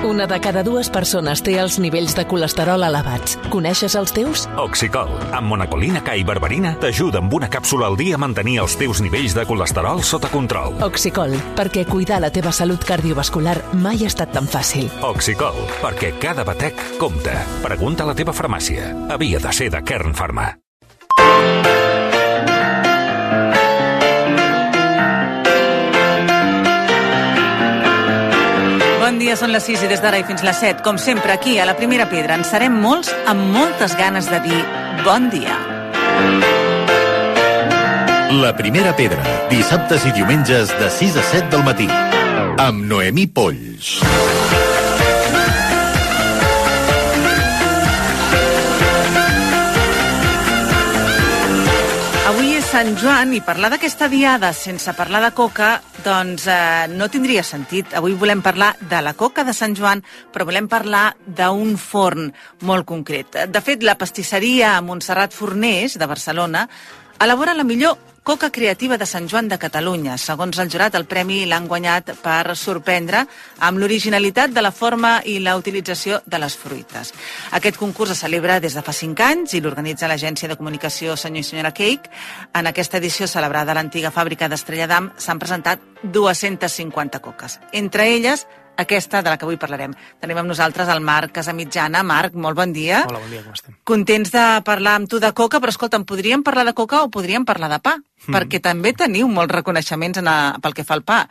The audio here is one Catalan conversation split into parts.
Una de cada dues persones té els nivells de colesterol elevats. Coneixes els teus? Oxicol, amb monacolina K i berberina, t'ajuda amb una càpsula al dia a mantenir els teus nivells de colesterol sota control. Oxicol, perquè cuidar la teva salut cardiovascular mai ha estat tan fàcil. Oxicol, perquè cada batec compta. Pregunta a la teva farmàcia. Havia de ser de Kern Pharma. Bon dia, són les 6 i des d'ara i fins les 7. Com sempre, aquí, a la Primera Pedra, en serem molts amb moltes ganes de dir bon dia. La Primera Pedra, dissabtes i diumenges de 6 a 7 del matí, amb Noemí Polls. Avui és Sant Joan i parlar d'aquesta diada sense parlar de coca, doncs no tindria sentit. Avui volem parlar de la coca de Sant Joan, però volem parlar d'un forn molt concret. De fet, la pastisseria Montserrat Forners, de Barcelona, elabora la millor coca creativa de Sant Joan de Catalunya. Segons el jurat, el premi l'han guanyat per sorprendre amb l'originalitat de la forma i la utilització de les fruites. Aquest concurs es celebra des de fa 5 anys i l'organitza l'agència de comunicació Senyor i Senyora Cake. En aquesta edició celebrada a l'antiga fàbrica d'Estrella d'Am s'han presentat 250 coques. Entre elles, aquesta de la que avui parlarem. Tenim amb nosaltres el Marc Casamitjana. Marc, molt bon dia. Hola, bon dia, com estem? Contents de parlar amb tu de coca, però escolta'm, podríem parlar de coca o podríem parlar de pa? Perquè també teniu molts reconeixements pel que fa al pa.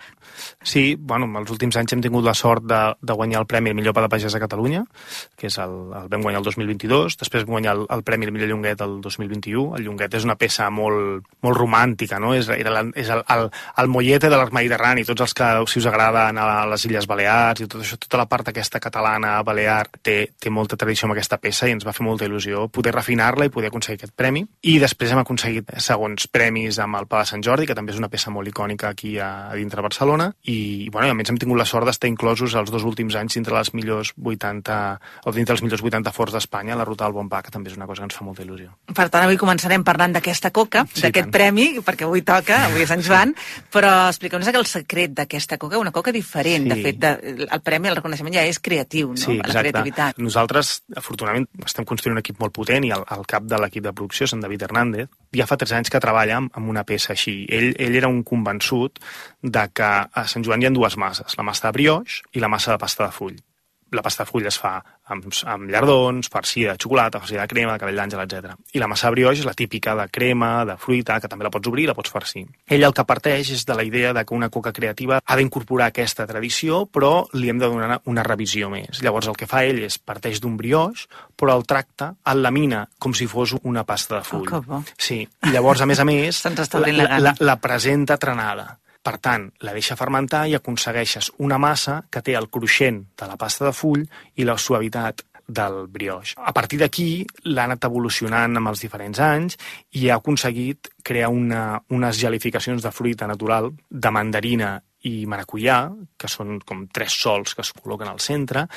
Sí, bueno, els últims anys hem tingut la sort de guanyar el Premi El Millor Pa de Pagès a Catalunya, que és el vam guanyar el 2022, després vam guanyar el Premi El Millor Llonguet el 2021. El llonguet és una peça molt romàntica, no? És el mollete de l'arc mediterrani, tots els que, si us agrada anar a les Illes Balears i tot això, tota la part aquesta catalana, balear, té molta tradició amb aquesta peça i ens va fer molta il·lusió poder refinar-la i poder aconseguir aquest premi. I després hem aconseguit segons premis amb el Pa de Sant Jordi, que també és una peça molt icònica aquí a dintre Barcelona, i bueno, a més hem tingut la sort d'estar inclosos els 2 últims anys dintre les millors 80 o dintre els millors 80 forts d'Espanya, la Ruta del Bon Pa, que també és una cosa que ens fa molta il·lusió. Per tant, avui començarem parlant d'aquesta coca, sí, d'aquest premi, perquè avui toca, avui és Sant Joan, però expliqueu-nos el secret d'aquesta coca, una coca diferent. Sí. De fet, el premi, el reconeixement ja és creatiu, no? Sí, exacte. La creativitat. Nosaltres, afortunadament, estem construint un equip molt potent i el cap de l'equip de producció és en David Hernández. Ja fa 3 anys que treballa amb una peça així. Ell era un convençut de que a Sant Joan hi ha 2 masses, la massa de brioix i la massa de pasta de full. La pasta de full es fa amb llardons, farcida de xocolata, farcida de crema, de cabell d'àngel, etc. I la massa de brioix és la típica de crema, de fruita, que també la pots obrir i la pots farcir. Ell el que parteix és de la idea de que una coca creativa ha d'incorporar aquesta tradició, però li hem de donar una revisió més. Llavors el que fa ell és parteix d'un brioix, però el tracta, el lamina com si fos una pasta de full. Oh, que bo. Sí, i llavors, a més, la presenta trenada. Per tant, la deixa fermentar i aconsegueixes una massa que té el cruixent de la pasta de full i la suavitat del brioix. A partir d'aquí l'ha anat evolucionant amb els diferents anys i ha aconseguit crear unes gelificacions de fruita natural, de mandarina i maracuyà, que són com 3 sols que es col·loquen al centre,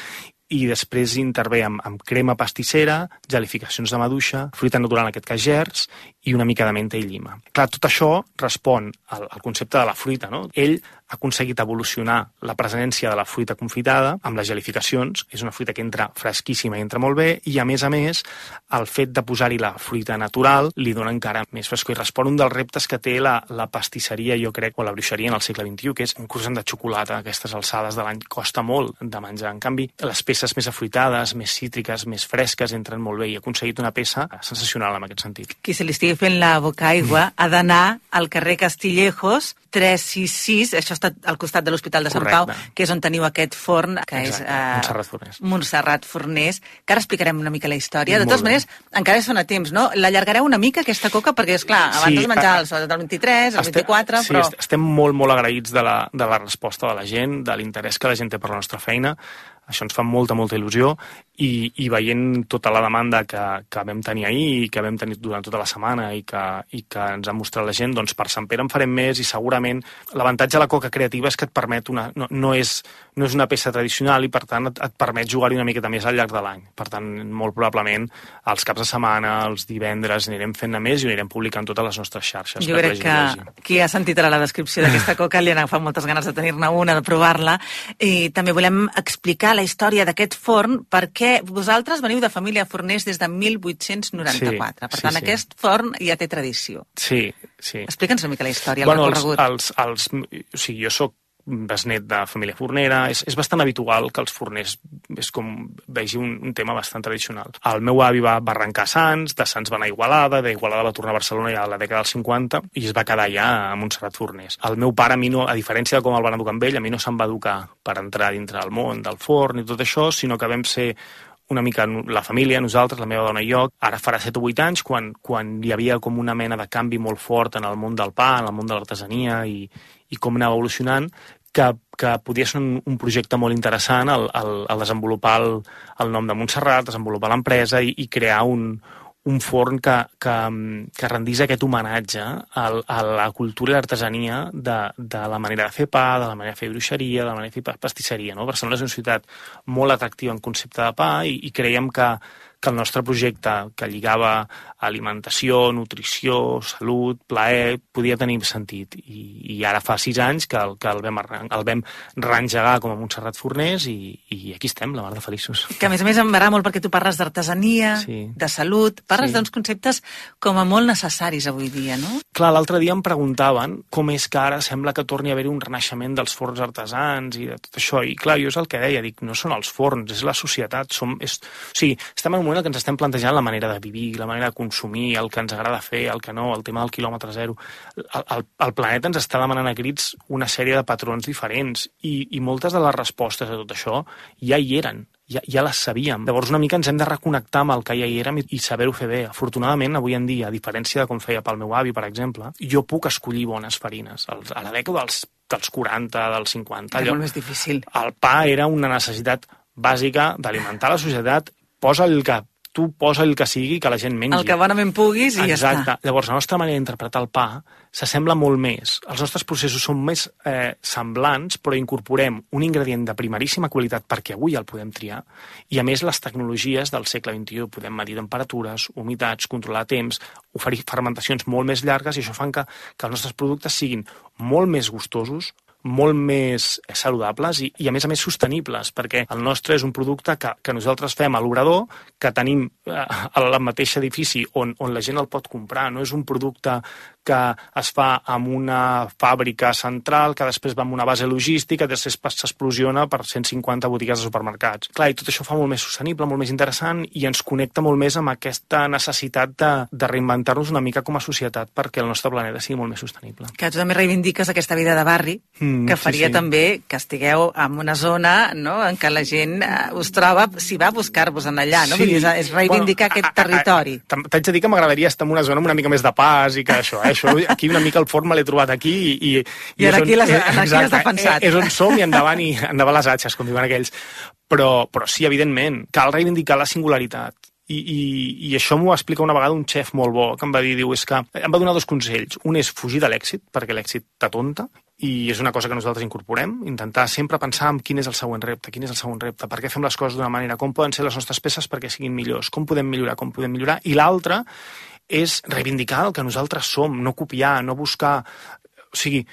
i després intervé amb crema pastissera, gelificacions de maduixa, fruita natural, en aquest cas gerds, i una mica de menta i llima. Clar, tot això respon al concepte de la fruita, no? Ell ha aconseguit evolucionar la presència de la fruita confitada amb les gelificacions. És una fruita que entra fresquíssima i entra molt bé, i a més, el fet de posar-hi la fruita natural li dona encara més frescor i respon un dels reptes que té la pastisseria, jo crec, o la bruixeria en el segle XXI, que és un croissant de xocolata a aquestes alçades de l'any. Costa molt de menjar. En canvi, les peces més afruitades, més cítriques, més fresques, entren molt bé, i ha aconseguit una peça sensacional en aquest sentit. Qui se li estigui fent la boca aigua ha d'anar al carrer Castillejos 366, això està al costat de l'Hospital de Sant Pau, que és on teniu aquest forn, que exacte, és Montserrat Forners, que ara explicarem una mica la història. De totes maneres, encara són a temps, no? L'allargareu una mica, aquesta coca, perquè, esclar, abans es menjava el 23, el 24, però... Sí, estem molt agraïts de la resposta de la gent, de l'interès que la gent té per la nostra feina. Això ens fa molta il·lusió, i veient tota la demanda que vam tenir ahir i que vam tenir durant tota la setmana i que ens ha mostrat la gent, doncs per Sant Pere en farem més, i segurament l'avantatge de la coca creativa és que et permet no és una peça tradicional, i per tant et permet jugar-hi una miqueta més al llarg de l'any. Per tant, molt probablement els caps de setmana, els divendres, anirem fent-ne més i ho anirem publicant totes les nostres xarxes. Jo crec que qui ha sentit ara la descripció d'aquesta coca li han agafat moltes ganes de tenir-ne una, de provar-la, i també volem explicar la la història d'aquest forn, perquè vosaltres veniu de família forners des de 1894. Per tant, aquest forn ja té tradició. Sí. Explica'ns una mica la història, el recorregut. Jo soc besnet de família fornera. És bastant habitual que els forners és com vegi un tema bastant tradicional. El meu avi va arrencar a Sants, de Sants va anar a Igualada, d'Igualada va tornar a Barcelona ja a la dècada dels 50 i es va quedar allà a Montserrat Forners. El meu pare, a mi no, a diferència de com el van educar amb ell, a mi no se'm va educar per entrar dintre del món del forn i tot això, sinó que vam ser una mica la família, nosaltres, la meva dona i jo, ara farà 7 o 8 anys, quan hi havia com una mena de canvi molt fort en el món del pa, en el món de l'artesania i com anava evolucionant, que podia ser un projecte molt interessant el desenvolupar el nom de Montserrat, desenvolupar l'empresa i crear un forn que rendís aquest homenatge a la cultura i l'artesania de la manera de fer pa, de la manera de fer bruixeria, de la manera de fer pastisseria. No? Barcelona és una ciutat molt atractiva en concepte de pa i creiem que el nostre projecte, que lligava alimentació, nutrició, salut, plaer, podia tenir sentit. I ara fa 6 anys que el vam reengegar com a Montserrat Forners i aquí estem, la mar de feliços. Que a més m'agrada molt perquè tu parles d'artesania, de salut, parles d'uns conceptes com a molt necessaris avui dia, no? Clar, l'altre dia em preguntaven com és que ara sembla que torni a haver-hi un renaixement dels forns artesans i de tot això. I clar, jo és el que deia, dic, no són els forns, és la societat. Estem en un moment en què ens estem plantejant la manera de vivir, la manera de consumir, el que ens agrada fer, el que no, el tema del quilòmetre zero. El planeta ens està demanant a crits una sèrie de patrons diferents i moltes de les respostes a tot això ja hi eren, ja les sabíem. Llavors una mica ens hem de reconnectar amb el que ja hi érem i saber-ho fer bé. Afortunadament, avui en dia, a diferència de com feia pel meu avi, per exemple, jo puc escollir bones farines. A la dècada dels 40, dels 50... Era molt més difícil. El pa era una necessitat bàsica d'alimentar la societat. Posa el que sigui, que la gent mengi. El que bonament puguis i ja està. Exacte. Llavors, la nostra manera d'interpretar el pa s'assembla molt més. Els nostres processos són més semblants, però incorporem un ingredient de primeríssima qualitat perquè avui el podem triar, i a més les tecnologies del segle XXI podem medir temperatures, humitats, controlar temps, oferir fermentacions molt més llargues, i això fa que els nostres productes siguin molt més gustosos, molt més saludables i a més sostenibles, perquè el nostre és un producte que nosaltres fem a l'obrador, que tenim al mateix edifici on la gent el pot comprar. No és un producte que es fa amb una fàbrica central, que després va amb una base logística, després s'explosiona per 150 botigues de supermercats. Clar, i tot això fa molt més sostenible, molt més interessant, i ens connecta molt més amb aquesta necessitat de reinventar-nos una mica com a societat perquè el nostre planeta sigui molt més sostenible. Que tu també reivindiques aquesta vida de barri, que faria també que estigueu en una zona, no?, en què la gent us troba, si va a buscar-vos en allà, no? Vull dir, és reivindicar aquest territori. T'haig de dir que m'agradaria estar en una zona una mica més de pas i que això, aquí una mica el forn me l'he trobat aquí i ara aquí l'has defensat. És on som i endavant les atxes, com diuen aquells. Però sí, evidentment, cal reivindicar la singularitat. I això m'ho va explicar una vegada un xef molt bo, que em va dir, em va donar 2 consells. Un és fugir de l'èxit, perquè l'èxit t'atonta, i és una cosa que nosaltres incorporem, intentar sempre pensar en quin és el següent repte, per què fem les coses d'una manera, com poden ser les nostres peces perquè siguin millors, com podem millorar. I l'altre és reivindicar el que nosaltres som, no copiar, no buscar... O sigui,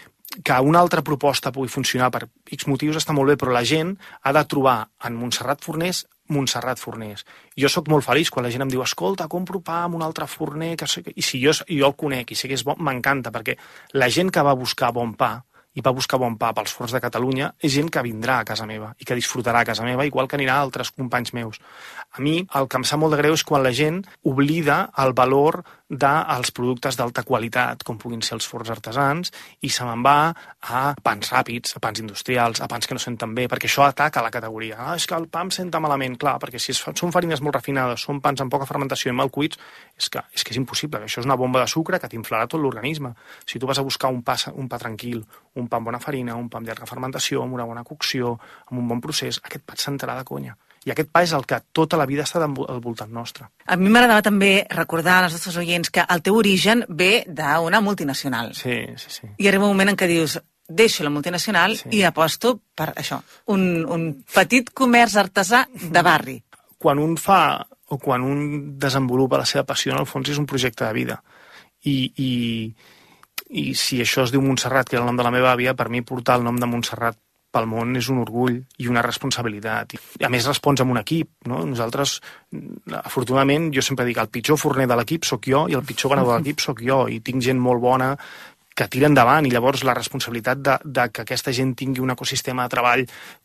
que una altra proposta pugui funcionar per X motius està molt bé, però la gent ha de trobar en Montserrat Forners. Jo sóc molt feliç quan la gent em diu escolta, compro pa amb un altre forner, i si jo el conec i sé que és bo, m'encanta, perquè la gent que va buscar bon pa i va buscar bon pa pels forns de Catalunya és gent que vindrà a casa meva i que disfrutarà a casa meva, igual que anirà a altres companys meus. A mi el que em sap molt de greu és quan la gent oblida el valor dels productes d'alta qualitat, com puguin ser els forns artesans, i se me'n va a pans ràpids, a pans industrials, a pans que no senten bé, perquè això ataca la categoria. És que el pa em senta malament, clar, perquè si són farines molt refinades, són pans amb poca fermentació i mal cuits, és que és impossible, això és una bomba de sucre que t'inflarà tot l'organisme. Si tu vas a buscar un pa tranquil, un pa amb bona farina, un pa amb llarga fermentació, amb una bona cocció, amb un bon procés, aquest pa et sentarà de conya. I aquest pa és el que tota la vida està al voltant nostre. A mi m'agradava també recordar als nostres oients que el teu origen ve d'una multinacional. Sí. I arriba un moment en què dius, deixo la multinacional i aposto per això, un petit comerç artesà de barri. Quan un fa o quan un desenvolupa la seva passió, en el fons és un projecte de vida. I si això es diu Montserrat, que era el nom de la meva àvia, per mi portar el nom de Montserrat pel món és un orgull i una responsabilitat. I a més respons amb un equip, no? Nosaltres, afortunadament, jo sempre dic el pitjor forner de l'equip sóc jo i el pitjor venedor de l'equip sóc jo, i tinc gent molt bona que tira endavant, i llavors la responsabilitat de que aquesta gent tingui un ecosistema de treball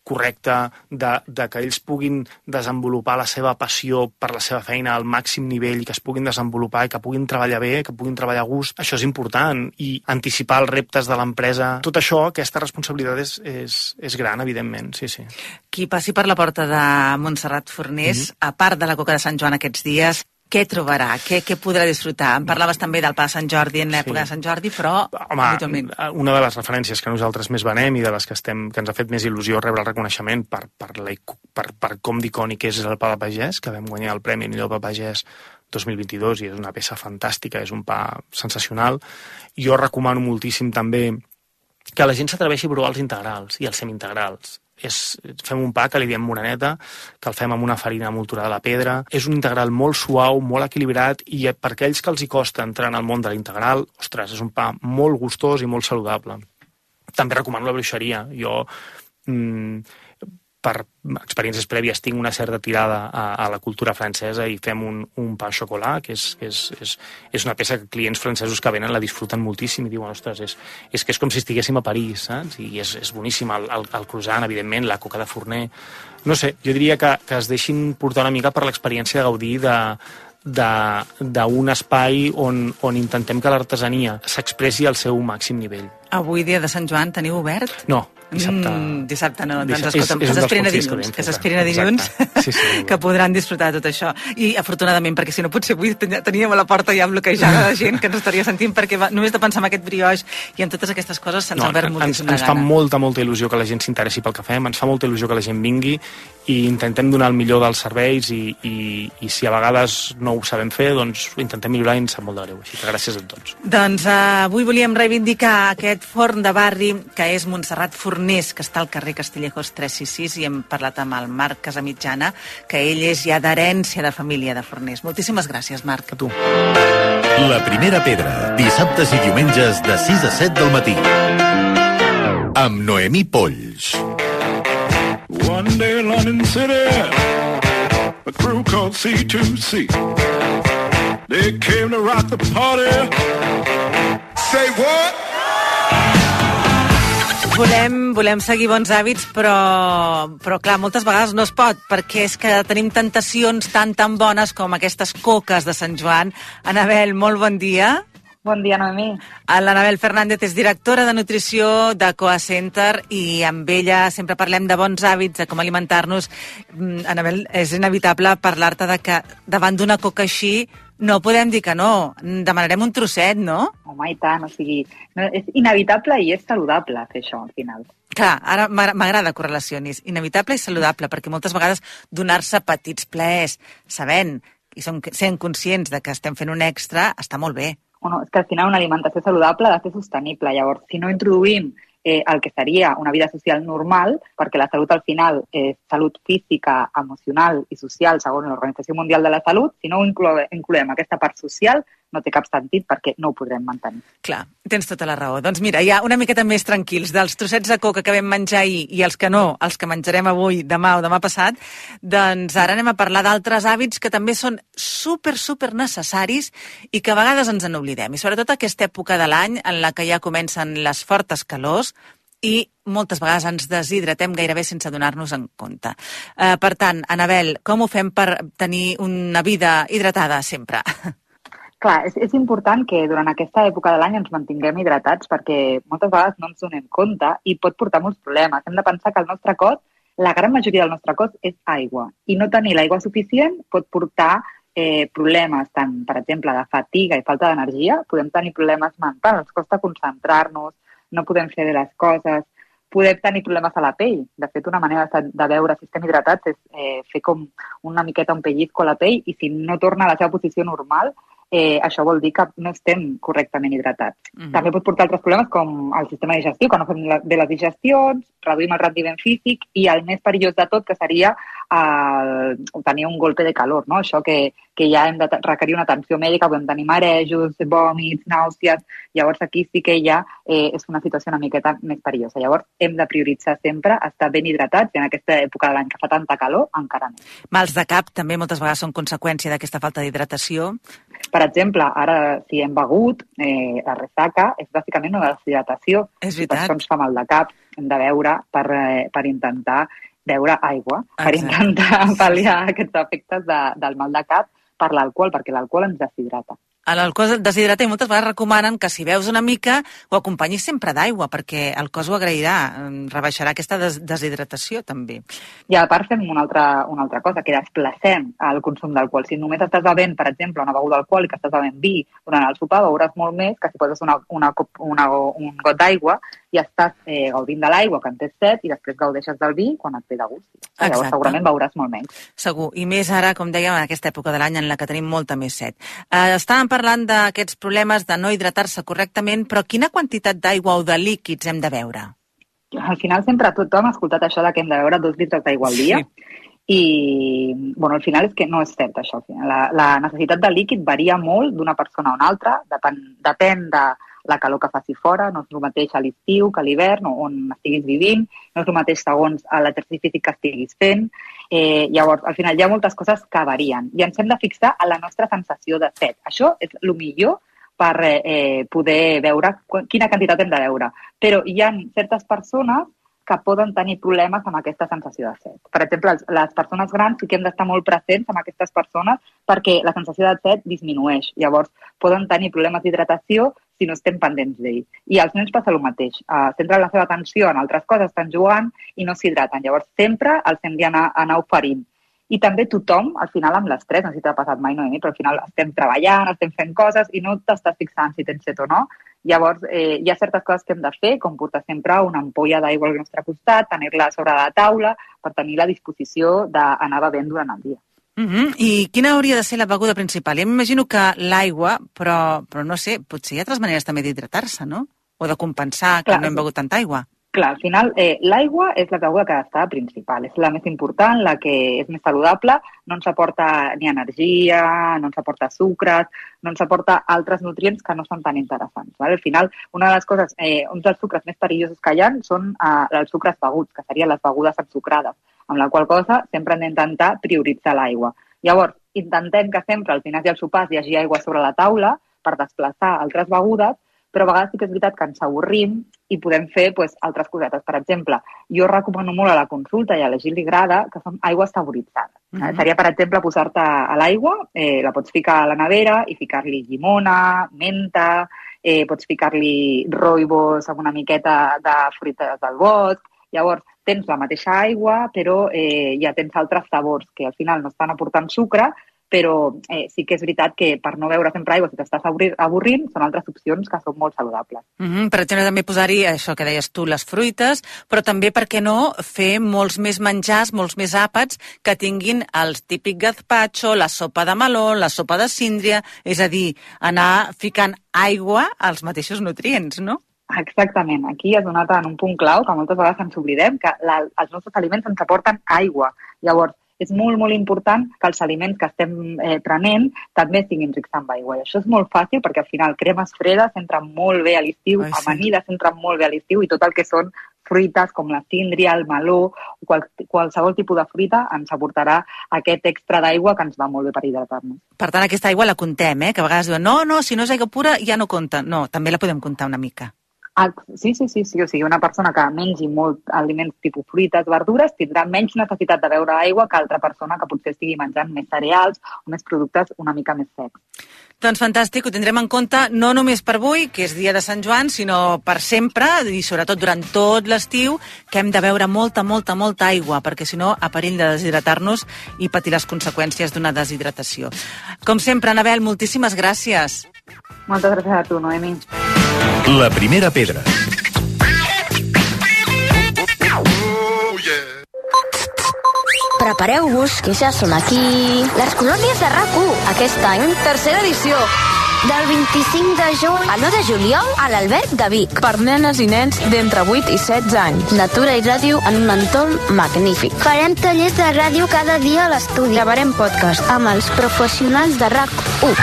correcte, de que ells puguin desenvolupar la seva passió per la seva feina al màxim nivell i que es puguin desenvolupar i que puguin treballar bé, que puguin treballar a gust, això és important, i anticipar els reptes de l'empresa. Tot això, aquesta responsabilitat és gran, evidentment, sí. Qui passi per la porta de Montserrat Fornés, a part de la Coca de Sant Joan aquests dies, què trobarà? Què podrà disfrutar? Em parlaves també del Pa de Sant Jordi en l'època de Sant Jordi, però... Home, una de les referències que nosaltres més venem i de les que ens ha fet més il·lusió rebre el reconeixement per com d'icònic és el Pa de Pagès, que vam guanyar el Premi Millor Pa Pagès 2022 i és una peça fantàstica, és un pa sensacional. Jo recomano moltíssim també que la gent s'atreveixi a provar els integrals i els semi-integrals. Fem un pa que li diem moreneta, que el fem amb una farina molturada a la pedra. És un integral molt suau, molt equilibrat, i per aquells que els hi costa entrar en el món de l'integral, ostres, és un pa molt gustós i molt saludable. També recomano la bruixeria. Jo, per experiències prèvies, tinc una certa tirada a la cultura francesa i fem un pa au chocolat, que és una peça que clients francesos que venen la disfruten moltíssim i diuen, ostres, és que és com si estiguéssim a París, saps? I és boníssim el croissant, evidentment, la coca de forner. No sé, jo diria que es deixin portar una mica per l'experiència de gaudir d'un espai on intentem que l'artesania s'expressi al seu màxim nivell. Avui, dia de Sant Joan, teniu obert? No, dissabte. Dissabte no, doncs escolta'm, que s'esperin a dilluns, que podran disfrutar de tot això. I afortunadament, perquè si no potser avui teníem a la porta ja bloquejada de gent que ens estaria sentint, perquè només de pensar en aquest brioix i en totes aquestes coses se'ns ha obert moltíssim de gana. Ens fa molta il·lusió que la gent s'interessi pel que fem, ens fa molta il·lusió que la gent vingui i intentem donar el millor dels serveis i si a vegades no ho sabem fer, doncs ho intentem millorar i ens sap molt de greu. Així que gràcies a tots. Doncs avui volíem reivindicar aquest forn de barri que és Montserrat Fornés, que està al carrer Castillejos 366, i hem parlat amb el Marc Casamitjana, que ell és ja d'herència de família de Fornés. Moltíssimes gràcies, Marc. A tu. La primera pedra, dissabtes i diumenges de 6 a 7 del matí. Amb Noemí Polls. One day in London City, a crew called C2C. They came to rock the party. Say what? Volem seguir bons hàbits, però clar, moltes vegades no es pot, perquè és que tenim tentacions tan bones com aquestes coques de Sant Joan. Anabel, molt bon dia. Bon dia, Noemí. L'Anabel Fernández és directora de nutrició de Coa Center i amb ella sempre parlem de bons hàbits, de com alimentar-nos. Anabel, és inevitable parlar-te de que davant d'una coca així no podem dir que no. Demanarem un trosset, no? Home, i tant, o sigui, no, és inevitable i és saludable fer això, al final. Clar, ara m'agrada que ho relacionis. Inevitable i saludable, perquè moltes vegades donar-se petits plaers, sabent i sent conscients de que estem fent un extra, està molt bé. Bueno, és que al final una alimentació saludable ha de ser sostenible. Llavors, si no introduïm el que seria una vida social normal, perquè la salut al final és salut física, emocional i social segons l'Organització Mundial de la Salut, si no incloem aquesta part social, no té cap sentit perquè no ho podrem mantenir. Clar, tens tota la raó. Doncs mira, ja una miqueta més tranquils dels trossets de coca que vam menjar ahir i els que no, els que menjarem avui, demà o demà passat, doncs ara anem a parlar d'altres hàbits que també són super necessaris i que a vegades ens en oblidem. I sobretot aquesta època de l'any en la que ja comencen les fortes calors i moltes vegades ens deshidratem gairebé sense donar-nos en compte. Per tant, Anabel, com ho fem per tenir una vida hidratada sempre? Clar, és important que durant aquesta època de l'any ens mantinguem hidratats perquè moltes vegades no ens donem compte i pot portar molts problemes. Hem de pensar que el nostre cos, la gran majoria del nostre cos és aigua i no tenir l'aigua suficient pot portar problemes, tant, per exemple, de fatiga i falta d'energia, podem tenir problemes mentals, ens costa concentrar-nos, no podem fer bé les coses, podem tenir problemes a la pell. De fet, una manera de veure si estem hidratats és fer com una miqueta un pellizco a la pell i si no torna a la seva posició normal, això vol dir que no estem correctament hidratats. També pot portar altres problemes com el sistema digestiu, que no fem bé les digestions, reduïm el rendiment físic i el més perillós de tot, que seria tenir un golpe de calor, no? Això que ja hem de requerir una atenció mèdica, podem tenir marejos, vòmits, nàusees. Llavors aquí sí que ja és una situació una miqueta més perillosa. Llavors hem de prioritzar sempre estar ben hidratats i en aquesta època de l'any que fa tanta calor encara més. Mals de cap també moltes vegades són conseqüència d'aquesta falta d'hidratació. Per exemple, ara si hem begut, la ressaca és bàsicament una deshidratació. És Per veritat. això ens fa mal de cap, hem de beure per intentar beure aigua, per intentar pal·liar aquests efectes del mal de cap per l'alcohol, perquè l'alcohol ens deshidrata. L'alcohol deshidrata i moltes vegades recomanen que si beus una mica ho acompanyis sempre d'aigua, perquè el cos ho agrairà, rebaixarà aquesta deshidratació també. I a part fem una altra cosa, que desplacem el consum d'alcohol. Si només estàs bevent, per exemple, una beguda alcohòlica, estàs bevent vi durant el sopar, beuràs molt més que si poses un got d'aigua i estàs gaudint de l'aigua quan tens set i després gaudeixes del vi quan et ve de gust. Llavors segurament beuràs molt menys. Segur, i més ara, com dèiem, en aquesta època de l'any en la que tenim molta més set. Estàvem parlant d'aquests problemes de no hidratar-se correctament, però quina quantitat d'aigua o de líquids hem de beure? Al final sempre tothom ha escoltat això de que hem de beure 2 litres d'aigua al dia. I, al final és que no és cert això. La necessitat de líquid varia molt d'una persona a una altra, depèn de la calor que faci fora, no és el mateix a l'estiu que a l'hivern, on estiguis vivint, no és el mateix segons l'exercici físic que estiguis fent. Llavors, al final hi ha moltes coses que varien i ens hem de fixar en la nostra sensació de set. Això és el millor per poder veure quina quantitat hem de beure. Però hi ha certes persones que poden tenir problemes amb aquesta sensació de set. Per exemple, les persones grans sí que hem d'estar molt presents amb aquestes persones perquè la sensació de set disminueix. Llavors, poden tenir problemes d'hidratació si no estem pendents d'ell. I als nens passa el mateix. Centren la seva atenció en altres coses, estan jugant i no s'hidraten. Llavors, sempre els hem d'anar oferint. I també tothom, al final, amb l'estrès, no sé si t'ha passat mai, Noemi, però al final estem treballant, estem fent coses i no t'estàs fixant si tens set o no. Llavors, hi ha certes coses que hem de fer, com portar sempre una ampolla d'aigua al nostre costat, tenir-la sobre la taula per tenir la disposició d'anar bevent durant el dia. I quina hauria de ser la beguda principal? Jo m'imagino que l'aigua, però no sé, potser hi ha altres maneres també d'hidratar-se, no? O de compensar que no hem begut tanta aigua. Clar, al final, l'aigua és la beguda que ha d'estar principal, és la més important, la que és més saludable, no ens aporta ni energia, no ens aporta sucres, no ens aporta altres nutrients que no són tan interessants. Al final, una de les coses, uns dels sucres més perillosos que hi ha són els sucres beguts, que serien les begudes ensucrades, amb la qual cosa sempre hem d'intentar prioritzar l'aigua. Llavors, intentem que sempre als dinars i als sopars hi hagi aigua sobre la taula per desplaçar altres begudes, però a vegades sí que és veritat que ens avorrim i podem fer altres cosetes. Per exemple, jo recomano molt a la consulta i a la gent li agrada que són aigües saboritzades. Seria, per exemple, posar-te a l'aigua, la pots ficar a la nevera i ficar-li llimona, menta, pots ficar-li rooibos amb una miqueta de fruites del bosc. Llavors, tens la mateixa aigua, però ja tens altres sabors que al final no estan aportant sucre, però sí que és veritat que per no beure sempre aigua, si t'estàs avorrint, són altres opcions que són molt saludables. Per exemple, també posar-hi això que deies tu, les fruites, però també, per què no, fer molts més menjars, molts més àpats que tinguin el típic gazpacho, la sopa de meló, la sopa de síndria, és a dir, anar ficant aigua als mateixos nutrients, no? Exactament. Aquí has donat en un punt clau que moltes vegades ens oblidem, que els nostres aliments ens aporten aigua. Llavors, és molt, molt important que els aliments que estem prenent també siguin rics amb aigua. I això és molt fàcil perquè al final cremes fredes entren molt bé a l'estiu, amanides entren molt bé a l'estiu i tot el que són fruites com la síndria, el meló, qualsevol tipus de fruita ens aportarà aquest extra d'aigua que ens va molt bé per hidratar-nos. Per tant, aquesta aigua la comptem, que a vegades diuen no, si no és aigua pura ja no compta. No, també la podem comptar una mica. Sí. O sigui, una persona que mengi molt aliments tipus fruites, verdures, tindrà menys necessitat de beure aigua que altra persona que potser estigui menjant més cereals o més productes una mica més secs. Doncs fantàstic, ho tindrem en compte no només per avui, que és dia de Sant Joan, sinó per sempre i sobretot durant tot l'estiu, que hem de beure molta aigua, perquè si no, a perill de deshidratar-nos i patir les conseqüències d'una deshidratació. Com sempre, Anabel, moltíssimes gràcies. Moltes gràcies a tu, Noemi. La primera pedra. Prepareu-vos, que ja som aquí. Les colònies de RAC1, aquest any, tercera edició. del 25 de juny a l'1 de juliol a l'Alberg de Vic. Per nenes i nens d'entre 8 i 16 anys. Natura i ràdio en un entorn magnífic. farem tallers de ràdio cada dia a l'estudi. Gravarem podcast Amb els professionals de RAC1.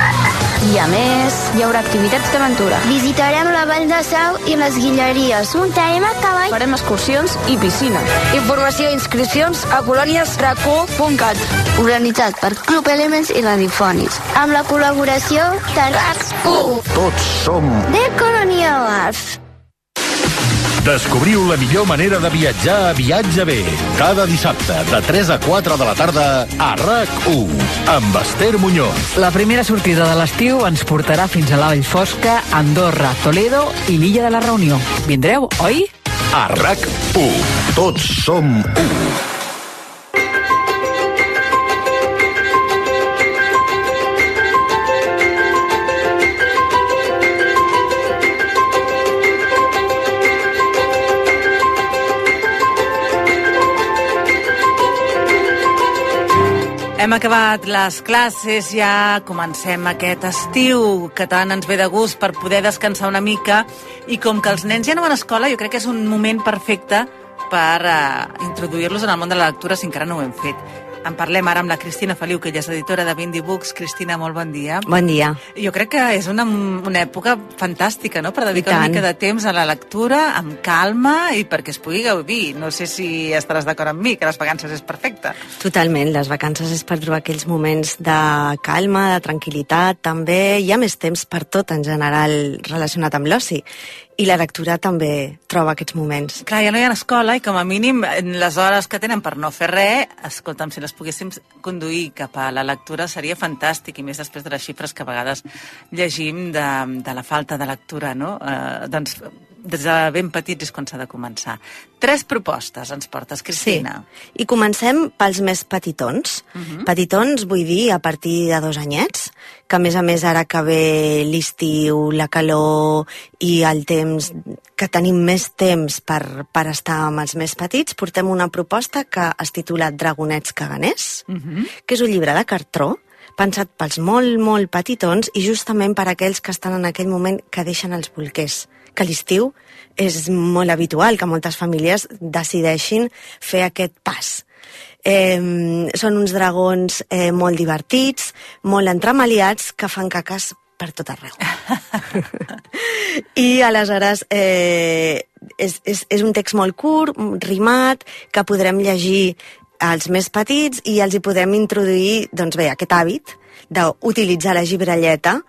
i, a més, hi haurà activitats d'aventura. Visitarem la Vall de Sau i les Guilleries. Muntarem a cavall. Farem excursions i piscina. Informació i inscripcions a colòniesrac1.cat. Organitzat per Club Elements i Radifonis. Amb la col·laboració de RAC1. Tots som... De Colònia Arts. Descobriu la millor manera de viatjar a Viatge B. Cada dissabte, de 3 a 4 de la tarda, a RAC1, amb Esther Muñoz. La primera sortida de l'estiu ens portarà fins a la Vall Fosca, Andorra, Toledo i l'Illa de la Reunió. Vindreu, oi? A RAC1, tots som u. Hem acabat les classes, ja comencem aquest estiu que tant ens ve de gust per poder descansar una mica, i com que els nens ja no van a escola, jo crec que és un moment perfecte per introduir-los en el món de la lectura si encara no ho hem fet. En parlem ara amb la Cristina Feliu, que ella és editora de Bindi Books. Cristina, molt bon dia. Bon dia. Jo crec que és una època fantàstica, no?, per dedicar una mica de temps a la lectura, amb calma i perquè es pugui gaudir. No sé si estaràs d'acord amb mi, que les vacances és perfecte. Totalment, les vacances és per trobar aquells moments de calma, de tranquil·litat, també hi ha més temps per tot en general relacionat amb l'oci. I la lectura també troba aquests moments. Clar, ja no hi ha escola i com a mínim les hores que tenen per no fer res, escolta'm, si les poguéssim conduir cap a la lectura seria fantàstic, i més després de les xifres que a vegades llegim de la falta de lectura, no? Doncs des de ben petits és quan s'ha de començar. 3 propostes ens portes, Cristina. Sí, i comencem pels més petitons. Petitons vull dir a partir de 2 anyets, que a més ara que ve l'estiu, la calor i el temps, que tenim més temps per estar amb els més petits, portem una proposta que es titula Dragonets caganers, que és un llibre de cartró, pensat pels molt petitons i justament per aquells que estan en aquell moment que deixen els bolquers, que a l'estiu és molt habitual que moltes famílies decideixin fer aquest pas. Són uns dragons molt divertits, molt entremaliats, que fan caques per tot arreu. I aleshores és un text molt curt, rimat, que podrem llegir als més petits i els hi podem introduir, doncs bé, aquest hàbit d'utilitzar la llibrelleta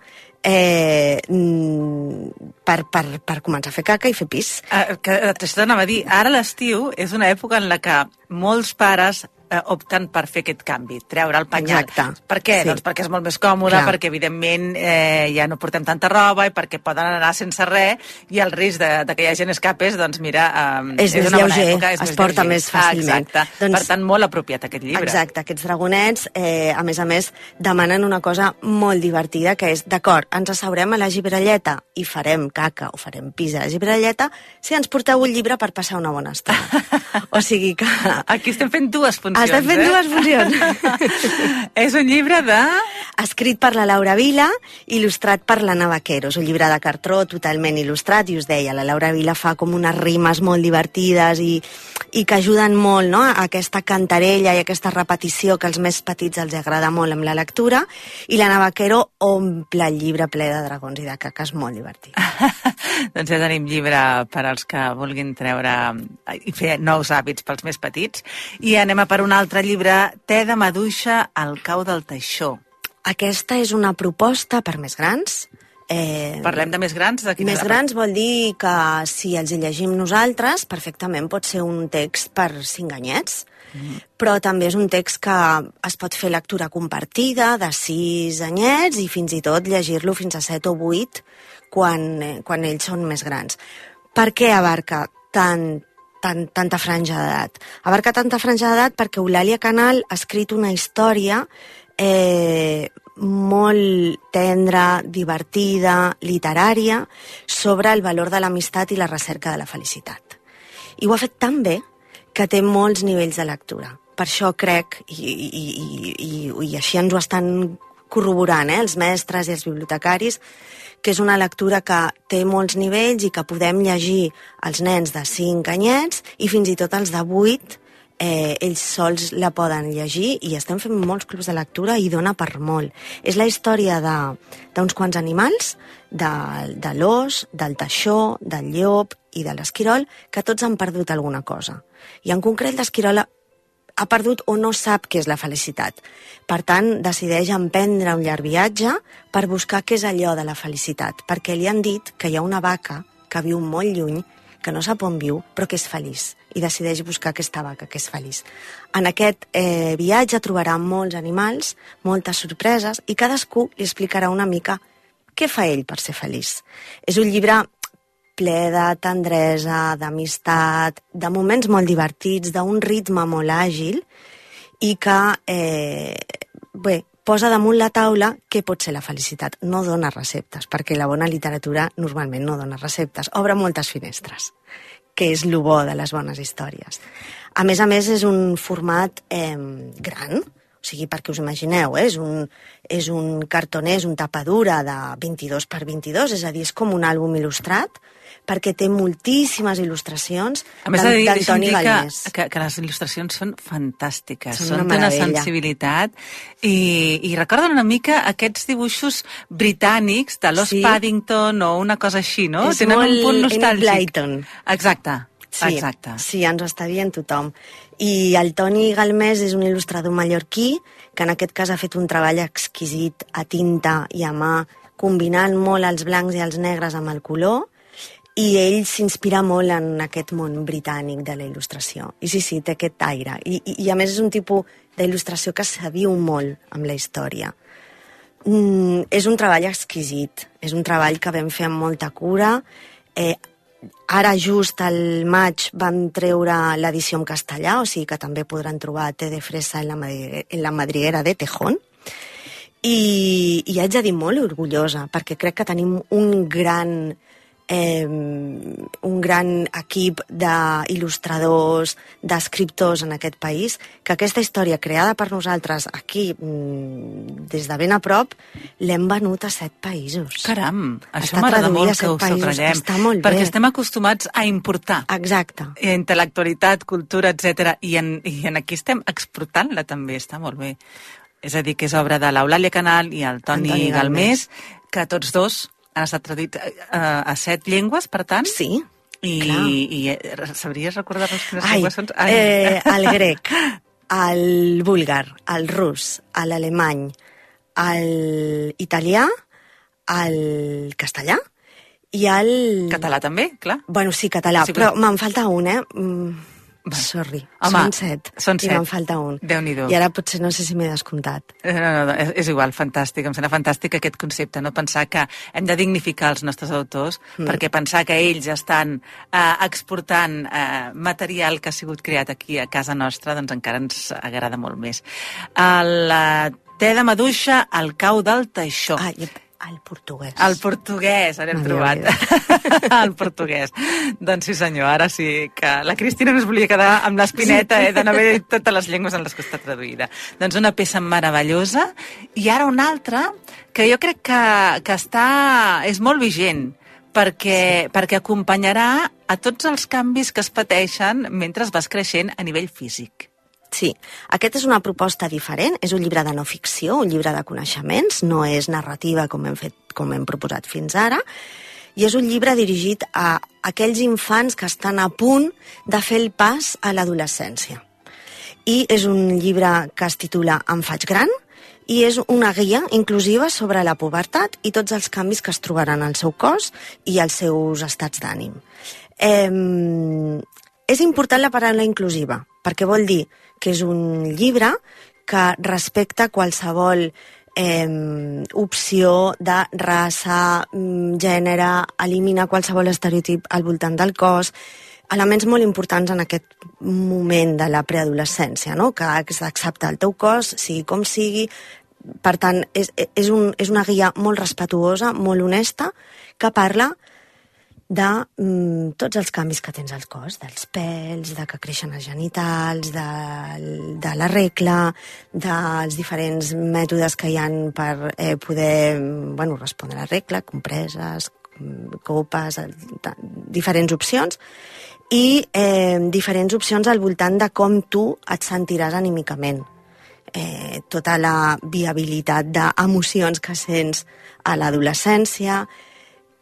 per començar a fer caca i fer pis. T'ho anava a dir, ara l'estiu és una època en la que molts pares opten per fer aquest canvi, treure el penyal. Exacte. Per què? Sí. Doncs perquè és molt més còmode, perquè evidentment ja no portem tanta roba i perquè poden anar sense res, i el risc de que hi hagi escapes, doncs mira, és una bona lleuger, època, es porta més fàcilment. Exacte. Doncs, per tant, molt apropiat aquest llibre. Exacte, aquests dragonets, a més, demanen una cosa molt divertida, que és, d'acord, ens asseurem a la llibrelleta i farem caca o farem pis a la llibrelleta si ens porteu un llibre per passar una bona estona. O sigui que... Aquí estem fent 2 funcions. Estem fent 2 funcions. És un llibre escrit per la Laura Vila, il·lustrat per l'Anna Vaquero. És un llibre de cartró totalment il·lustrat, i us deia, la Laura Vila fa com unes rimes molt divertides i que ajuden molt, no?, a aquesta cantarella i aquesta repetició que als més petits els agrada molt amb la lectura, i l'Anna Vaquero omple el llibre ple de dragons i de caques, molt divertit. Doncs ja tenim llibre per als que vulguin treure i fer nous hàbits pels més petits. I anem a per un altre llibre, Te de maduixa al cau del teixó. Aquesta és una proposta per més grans. Parlem de més grans? Més grans vol dir que si els hi llegim nosaltres, perfectament pot ser un text per 5 anyets, però també és un text que es pot fer lectura compartida de 6 anyets i fins i tot llegir-lo fins a 7 o 8 quan ells són més grans. Per què abarca tanta franja d'edat? Abarca tanta franja d'edat perquè Eulàlia Canal ha escrit una història molt tendra, divertida, literària, sobre el valor de l'amistat i la recerca de la felicitat. I ho ha fet tan bé que té molts nivells de lectura. Per això crec, i així ens ho estan corroborant, els mestres i els bibliotecaris, que és una lectura que té molts nivells i que podem llegir els nens de 5 anyets i fins i tot els de 8, ells sols la poden llegir i estem fent molts clubs de lectura i dona per molt. És la història d'uns quants animals, de l'ós, del teixó, del llop i de l'esquirol, que tots han perdut alguna cosa. I en concret l'esquirol ha perdut o no sap què és la felicitat. Per tant, decideix emprendre un llarg viatge per buscar què és allò de la felicitat, perquè li han dit que hi ha una vaca que viu molt lluny, que no sap on viu, però que és feliç, i decideix buscar aquesta vaca que és feliç. En aquest viatge trobarà molts animals, moltes sorpreses, i cadascú li explicarà una mica què fa ell per ser feliç. És un llibre ple de tendresa, d'amistat, de moments molt divertits, d'un ritme molt àgil, i que, posa damunt la taula què pot ser la felicitat. No dona receptes, perquè la bona literatura normalment no dona receptes. Obre moltes finestres, que és lo bo de les bones històries. A més, és un format gran, o sigui, perquè us imagineu, és un cartoner, és un tapadura de 22 per 22, és a dir, és com un àlbum il·lustrat, perquè té moltíssimes il·lustracions d'Antoni Galmés. Que les il·lustracions són fantàstiques, són d'una sensibilitat i recorden una mica aquests dibuixos britànics de l'Os Paddington o una cosa així, no? És tenen un punt nostàlgic. Blyton. Exacte. Sí, ens ho està dient tothom. I el Toni Galmés és un il·lustrador mallorquí que en aquest cas ha fet un treball exquisit a tinta i a mà, combinant molt els blancs i els negres amb el color, i ell s'inspira molt en aquest món britànic de la il·lustració. I sí, té aquest aire. I a més és un tipus d'il·lustració que s'aviu molt amb la història. És un treball exquisit, és un treball que vam fer amb molta cura. Ara just al maig vam treure l'edició en castellà, o sigui que també podran trobar Té de fresa en la madriguera de Tejón. I haig de dir molt orgullosa, perquè crec que tenim un gran equip d'il·lustradors, d'escriptors en aquest país, que aquesta història creada per nosaltres aquí, des de ben a prop, l'hem venut a 7 països. Caram, això m'agrada molt que ho subratllem, està molt bé. Perquè estem acostumats a importar. Exacte. Intel·lectualitat, cultura, etc. I aquí estem exportant-la també, està molt bé. És a dir, que és obra de l'Eulàlia Canal i el Toni Galmés, que tots dos han estat traduïts a 7 llengües, per tant? Sí, I sabries recordar-nos quines llengües són? El grec, el búlgar, el rus, l'alemany, l'italià, el castellà i el... Català també, clar. Bueno, sí, català, però me'n falta un, Sorry, són 7. I me'n falta un. Déu-n'hi-do. I ara potser no sé si m'he descomptat. No, és igual, fantàstic. Em sembla fantàstic aquest concepte, no? Pensar que hem de dignificar els nostres autors, perquè pensar que ells estan exportant material que ha sigut creat aquí a casa nostra, doncs encara ens agrada molt més. El te de maduixa al cau del teixó. El portuguès. El portuguès, ara hem trobat. El portuguès. Doncs sí senyor, ara sí que la Cristina no es volia quedar amb l'espineta de no haver dit totes les llengües en les que està traduïda. Doncs una peça meravellosa. I ara una altra que jo crec que és molt vigent, perquè acompanyarà a tots els canvis que es pateixen mentre vas creixent a nivell físic. Sí, aquest és una proposta diferent, és un llibre de no ficció, un llibre de coneixements, no és narrativa com hem proposat fins ara, i és un llibre dirigit a aquells infants que estan a punt de fer el pas a l'adolescència. I és un llibre que es titula Em faig gran, i és una guia inclusiva sobre la pubertat i tots els canvis que es trobaran al seu cos i als seus estats d'ànim. És important la paraula inclusiva, perquè vol dir que és un llibre que respecta qualsevol opció de raça, gènere, elimina qualsevol estereotip al voltant del cos, elements molt importants en aquest moment de la preadolescència, no? Que has d'acceptar el teu cos, sigui com sigui. Per tant, és una guia molt respetuosa, molt honesta, que parla de tots els canvis que tens al cos, dels pèls, de que creixen els genitals, de la regla, dels diferents mètodes que hi ha per poder respondre a la regla, compreses, copes, diferents opcions, i diferents opcions al voltant de com tu et sentiràs anímicament. Tota la viabilitat d'emocions que sents a l'adolescència,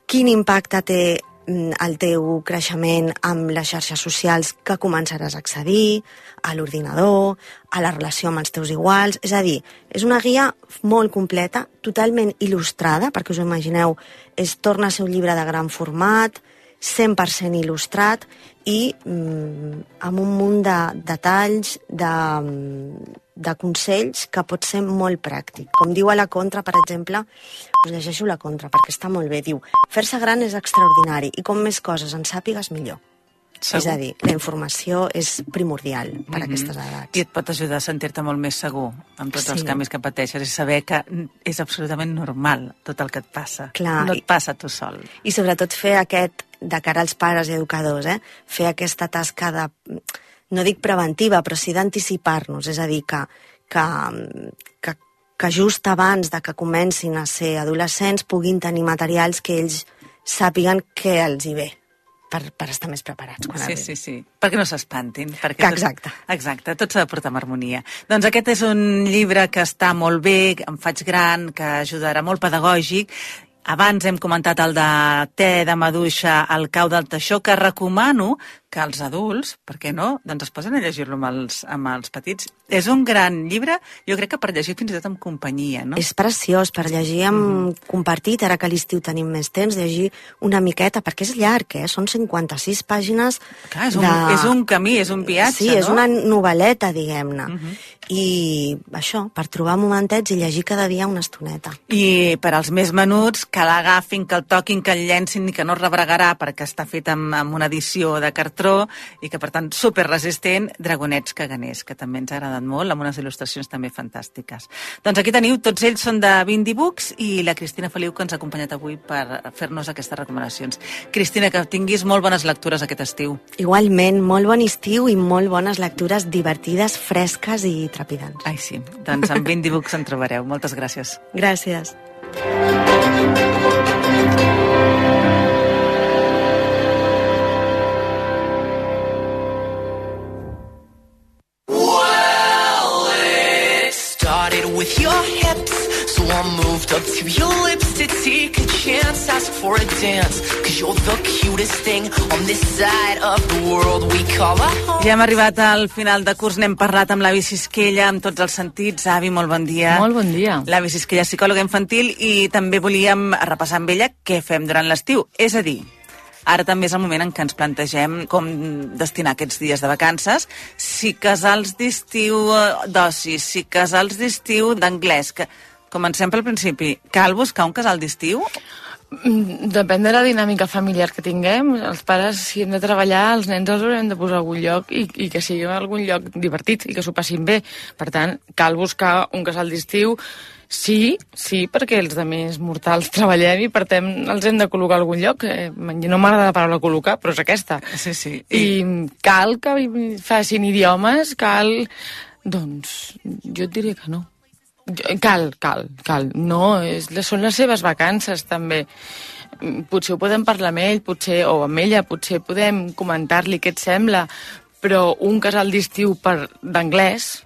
quin impacte té el teu creixement amb les xarxes socials que començaràs a accedir, a l'ordinador, a la relació amb els teus iguals. És a dir, és una guia molt completa, totalment il·lustrada, perquè us ho imagineu, torna a ser un llibre de gran format, 100% il·lustrat i amb un munt de detalls, de consells que pot ser molt pràctic. Com diu a la contra, per exemple, us llegeixo la contra perquè està molt bé, diu: fer-se gran és extraordinari i com més coses en sàpigues, millor. Segur. És a dir, la informació és primordial per a aquestes edats. I et pot ajudar a sentir-te molt més segur amb tots els canvis que pateixes i saber que és absolutament normal tot el que et passa. Clar, no et passa tu sol. I sobretot fer de cara als pares i educadors, fer aquesta tasca de, no dic preventiva, però sí d'anticipar-nos, és a dir, que just abans de que comencin a ser adolescents puguin tenir materials que ells sàpiguen què els hi ve per estar més preparats quan arribin. Sí, perquè no s'espantin. Exacte. Exacte, tot s'ha de portar amb harmonia. Doncs aquest és un llibre que està molt bé, em faig gran, que ajudarà, molt pedagògic. Abans hem comentat el de te de maduixa al cau del teixó, que recomano que els adults, per què no, doncs es posen a llegir-lo amb els petits. És un gran llibre, jo crec que per llegir fins i tot amb companyia, no? És preciós, per llegir amb compartit, ara que a l'estiu tenim més temps, llegir una miqueta, perquè és llarg, són 56 pàgines. Clar, és un camí, és un viatge, no? Sí, és una novel·leta, diguem-ne. I això, per trobar momentets i llegir cada dia una estoneta. I per als més menuts, que l'agafin, que el toquin, que el llencin i que no rebregarà perquè està fet amb una edició de cartró i que, per tant, superresistent, Dragonets caganers, que també ens ha agradat molt, amb unes il·lustracions també fantàstiques. Doncs aquí teniu, tots ells són de Bindi Books i la Cristina Feliu, que ens ha acompanyat avui per fer-nos aquestes recomanacions. Cristina, que tinguis molt bones lectures aquest estiu. Igualment, molt bon estiu i molt bones lectures divertides, fresques i trepidants. Ai, sí. Doncs amb Bindi Books en trobareu. Moltes gràcies. Gràcies. With your hips, so I moved up to your lips to take a chance, ask for a dance, cause you're the cutest thing on this side of the world we call a home. Ja hem arribat al final de curs, n'hem parlat amb l'Avi Sisquella, amb tots els sentits. Avi, molt bon dia. Molt bon dia. L'Avi Sisquella, psicòloga infantil, i també volíem repassar amb ella què fem durant l'estiu, és a dir, ara també és el moment en què ens plantegem com destinar aquests dies de vacances, si casals d'estiu d'oci, si casals d'estiu d'anglès. Comencem pel principi. Cal buscar un casal d'estiu? Depèn de la dinàmica familiar que tinguem. Els pares, si hem de treballar, els nens els haurem de posar a algun lloc i que sigui algun lloc divertit i que s'ho passin bé. Per tant, cal buscar un casal d'estiu. Sí, perquè els altres mortals treballem i per tant els hem de col·locar a algun lloc. No m'agrada la paraula col·locar, però és aquesta. Sí. I cal que facin idiomes, doncs jo et diria que no. Cal. No, són les seves vacances, també. Potser ho podem parlar amb ell, o amb ella, potser podem comentar-li què et sembla, però un casal d'estiu d'anglès...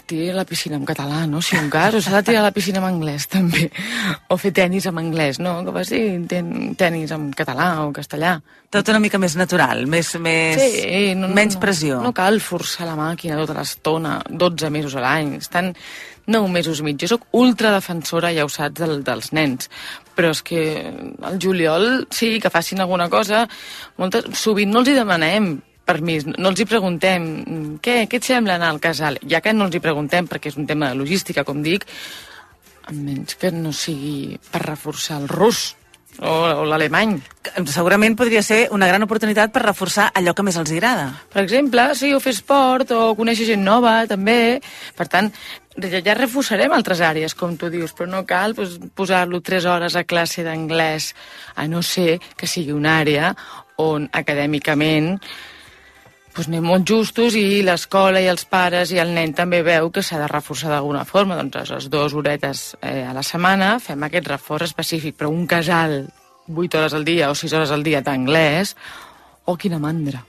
Tiri a la piscina en català, no? Si un cas, o s'ha de tirar a la piscina en anglès, també. O fer tenis en anglès, no? Que faci tenis en català o castellà. Tot una mica més natural, menys pressió. No cal forçar la màquina tota l'estona, 12 mesos a l'any. Estan 9 mesos i mig. Jo soc ultradefensora, ja ho saps, dels nens. Però és que al juliol, sí, que facin alguna cosa. Sovint no els hi demanem permís, no els hi preguntem què et sembla anar al casal, ja que no els hi preguntem perquè és un tema de logística, com dic, almenys que no sigui per reforçar el rus, o l'alemany. Segurament podria ser una gran oportunitat per reforçar allò que més els agrada. Per exemple, sí, o fer esport, o conèixer gent nova, també. Per tant, ja reforçarem altres àrees, com tu dius, però no cal posar-lo 3 hores a classe d'anglès, a no ser que sigui una àrea on acadèmicament anem molt justos i l'escola i els pares i el nen també veu que s'ha de reforçar d'alguna forma. Doncs a les 2 horetes a la setmana fem aquest reforç específic, però un casal 8 hores al dia o 6 hores al dia d'anglès, quina mandra.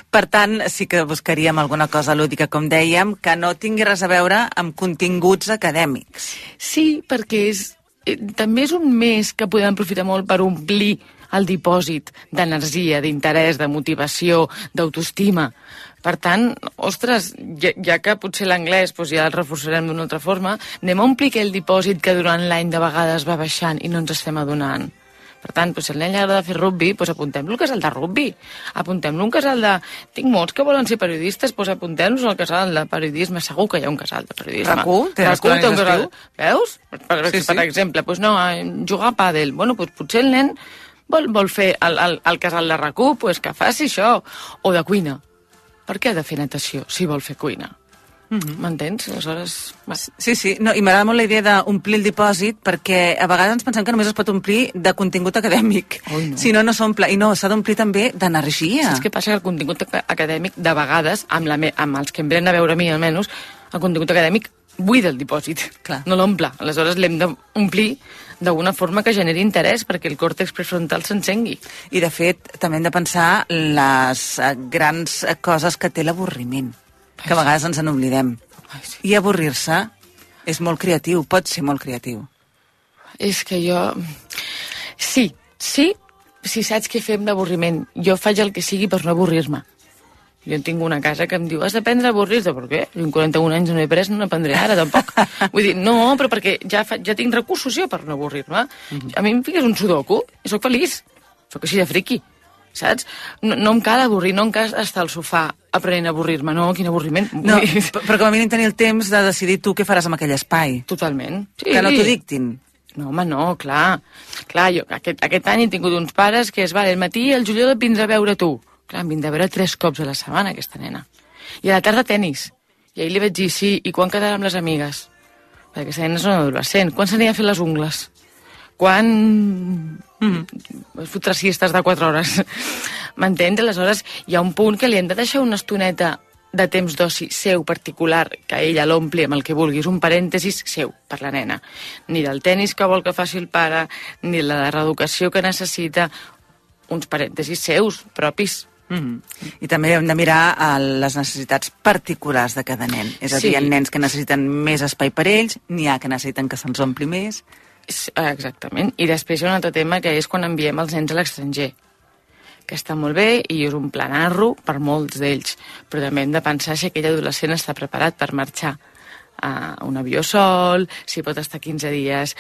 Per tant, sí que buscaríem alguna cosa lúdica, com dèiem, que no tingui res a veure amb continguts acadèmics. Sí, perquè també és un mes que podem aprofitar molt per omplir el dipòsit d'energia, d'interès, de motivació, d'autoestima. Per tant, ostres, ja que potser l'anglès ja el reforçarem d'una altra forma, anem a omplir aquell dipòsit que durant l'any de vegades va baixant i no ens estem adonant. Per tant, si al nen li agrada fer rugby, apuntem-lo al casal de rugby. Apuntem-lo un casal de... Tinc molts que volen ser periodistes, apuntem-los al casal de periodisme. Segur que hi ha un casal de periodisme. RAC1 té un casal. Veus? Per exemple, jugar a pàdel. Potser el nen vol fer el casal de RAC1, que faci això. O de cuina. Per què ha de fer natació si vol fer cuina? M'entens? Aleshores... Sí. No, i m'agrada molt la idea d'omplir el dipòsit, perquè a vegades ens pensem que només es pot omplir de contingut acadèmic. Si no, no s'omple. I no, s'ha d'omplir també d'energia. Saps què passa? Que el contingut acadèmic, de vegades, amb els que em venen a veure a mi, almenys, el contingut acadèmic buida el dipòsit. Clar. No l'omple. Aleshores l'hem d'omplir d'alguna forma que generi interès perquè el còrtex prefrontal s'encengui. I, de fet, també hem de pensar les grans coses que té l'avorriment, que a vegades ens n'oblidem. I avorrir-se és molt creatiu, pot ser molt creatiu. És que jo... Sí, si saps què fem d'avorriment. Jo faig el que sigui per no avorrir-me. Jo tinc una casa que em diu, has d'aprendre a avorrir-te. Per què? Jo en 41 anys no he après, no n'aprendré ara, tampoc. Vull dir, no, però perquè ja tinc recursos jo per no avorrir-me. A mi em fiques un sudoku i soc feliç. Soc així de friqui, saps? No em cal avorrir, no em cal estar al sofà aprenent a avorrir-me. No, quin avorriment. No, però com a mínim tenir el temps de decidir tu què faràs amb aquell espai. Totalment. Sí. Que no t'ho dictin. No, home, no, clar. Clar, jo aquest any he tingut uns pares que al matí el juliol et vindrà a veure tu. Clar, em vindrà a veure 3 cops a la setmana, aquesta nena. I a la tarda tenis. I ahir li vaig dir, sí, i quan quedarà amb les amigues? Perquè aquesta nena és una adolescent. Quan s'anirà a fer les ungles? Quan... es fotrà siestes de 4 hores. M'entens? Aleshores, hi ha un punt que li hem de deixar una estoneta de temps d'oci seu particular, que ella l'ompli amb el que vulguis, un parèntesis seu per la nena. Ni del tenis que vol que faci el pare, ni la reeducació que necessita, uns parèntesis seus, propis. I també hem de mirar les necessitats particulars de cada nen. És a dir, hi ha nens que necessiten més espai per ells, n'hi ha que necessiten que se'ls ompli més. Exactament. I després hi ha un altre tema que és quan enviem els nens a l'estranger, que està molt bé i és un planarro per molts d'ells, però també hem de pensar si aquell adolescent està preparat per marxar a un avió sol, si pot estar 15 dies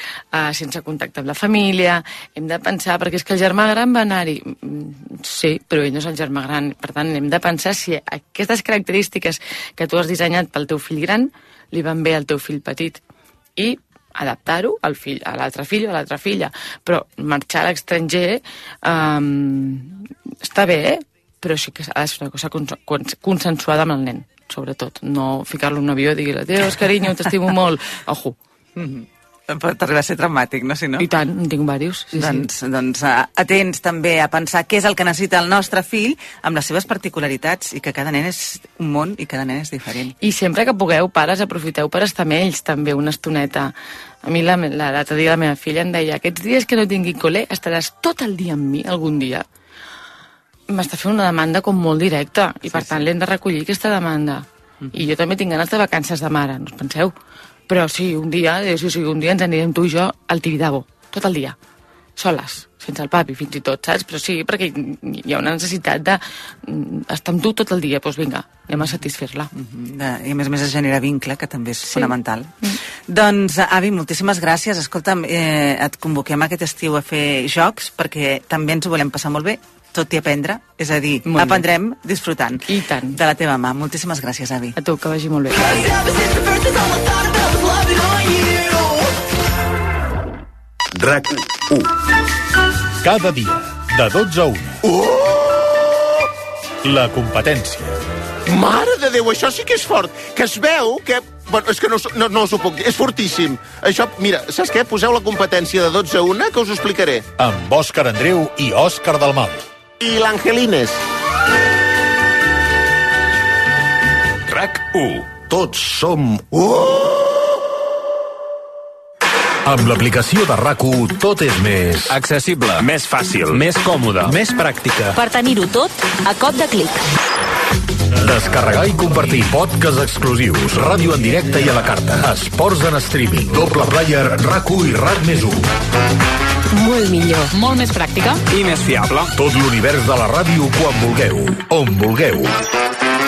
sense contacte amb la família. Hem de pensar, perquè és que el germà gran va anar-hi. Sí, però ell no és el germà gran. Per tant, hem de pensar si aquestes característiques que tu has dissenyat pel teu fill gran li van bé al teu fill petit. I adaptar-ho a l'altre fill o a l'altra filla. Però marxar a l'estranger està bé, però sí que ha de ser una cosa consensuada amb el nen, sobretot. No ficar-lo en un avió i dir-li, adiós, carinyo, t'estimo molt. Ojo. Pot arribar a ser traumàtic, no? Si no? I tant, en tinc diversos. Doncs atents també a pensar què és el que necessita el nostre fill amb les seves particularitats i que cada nen és un món i cada nen és diferent. I sempre que pugueu, pares, aprofiteu per estar amb ells també una estoneta. A mi l'altre dia la meva filla em deia, aquests dies que no tingui col·le estaràs tot el dia amb mi algun dia. M'està fent una demanda com molt directa i per tant l'hem de recollir aquesta demanda. I jo també tinc ganes de vacances de mare, no us penseu? Però sí, un dia ens anirem tu i jo al Tibidabo, tot el dia, soles, sense el papi fins i tot, saps? Però sí, perquè hi ha una necessitat d'estar amb tu tot el dia, doncs vinga, anem a satisfer-la. I a més es genera vincle, que també és fonamental. Doncs, Avi, moltíssimes gràcies. Escolta'm, et convoquem aquest estiu a fer jocs, perquè també ens ho volem passar molt bé, tot i aprendre, és a dir, aprendrem disfrutant de la teva mà. Moltíssimes gràcies, Avi. A tu, que vagi molt bé. RAC1. Cada dia, de 12 a 1. La competència. Mare de Déu, això sí que és fort. Que es veu que... Bueno, és que no us ho puc dir. És fortíssim. Això, mira, saps què? Poseu la competència de 12 a 1, que us ho explicaré. Amb Òscar Andreu i Òscar Dalmau. I l'Angelines. RAC1. Tots som... Amb l'aplicació de RAC1 tot és més... accessible, més fàcil, més còmode, més pràctica. Per tenir-ho tot a cop de clic. Descarregar i compartir podcasts exclusius, ràdio en directe i a la carta, esports en streaming, doble player, RAC1 i RAC+1. Molt millor. Molt més pràctica. I més fiable. Tot l'univers de la ràdio quan vulgueu, on vulgueu.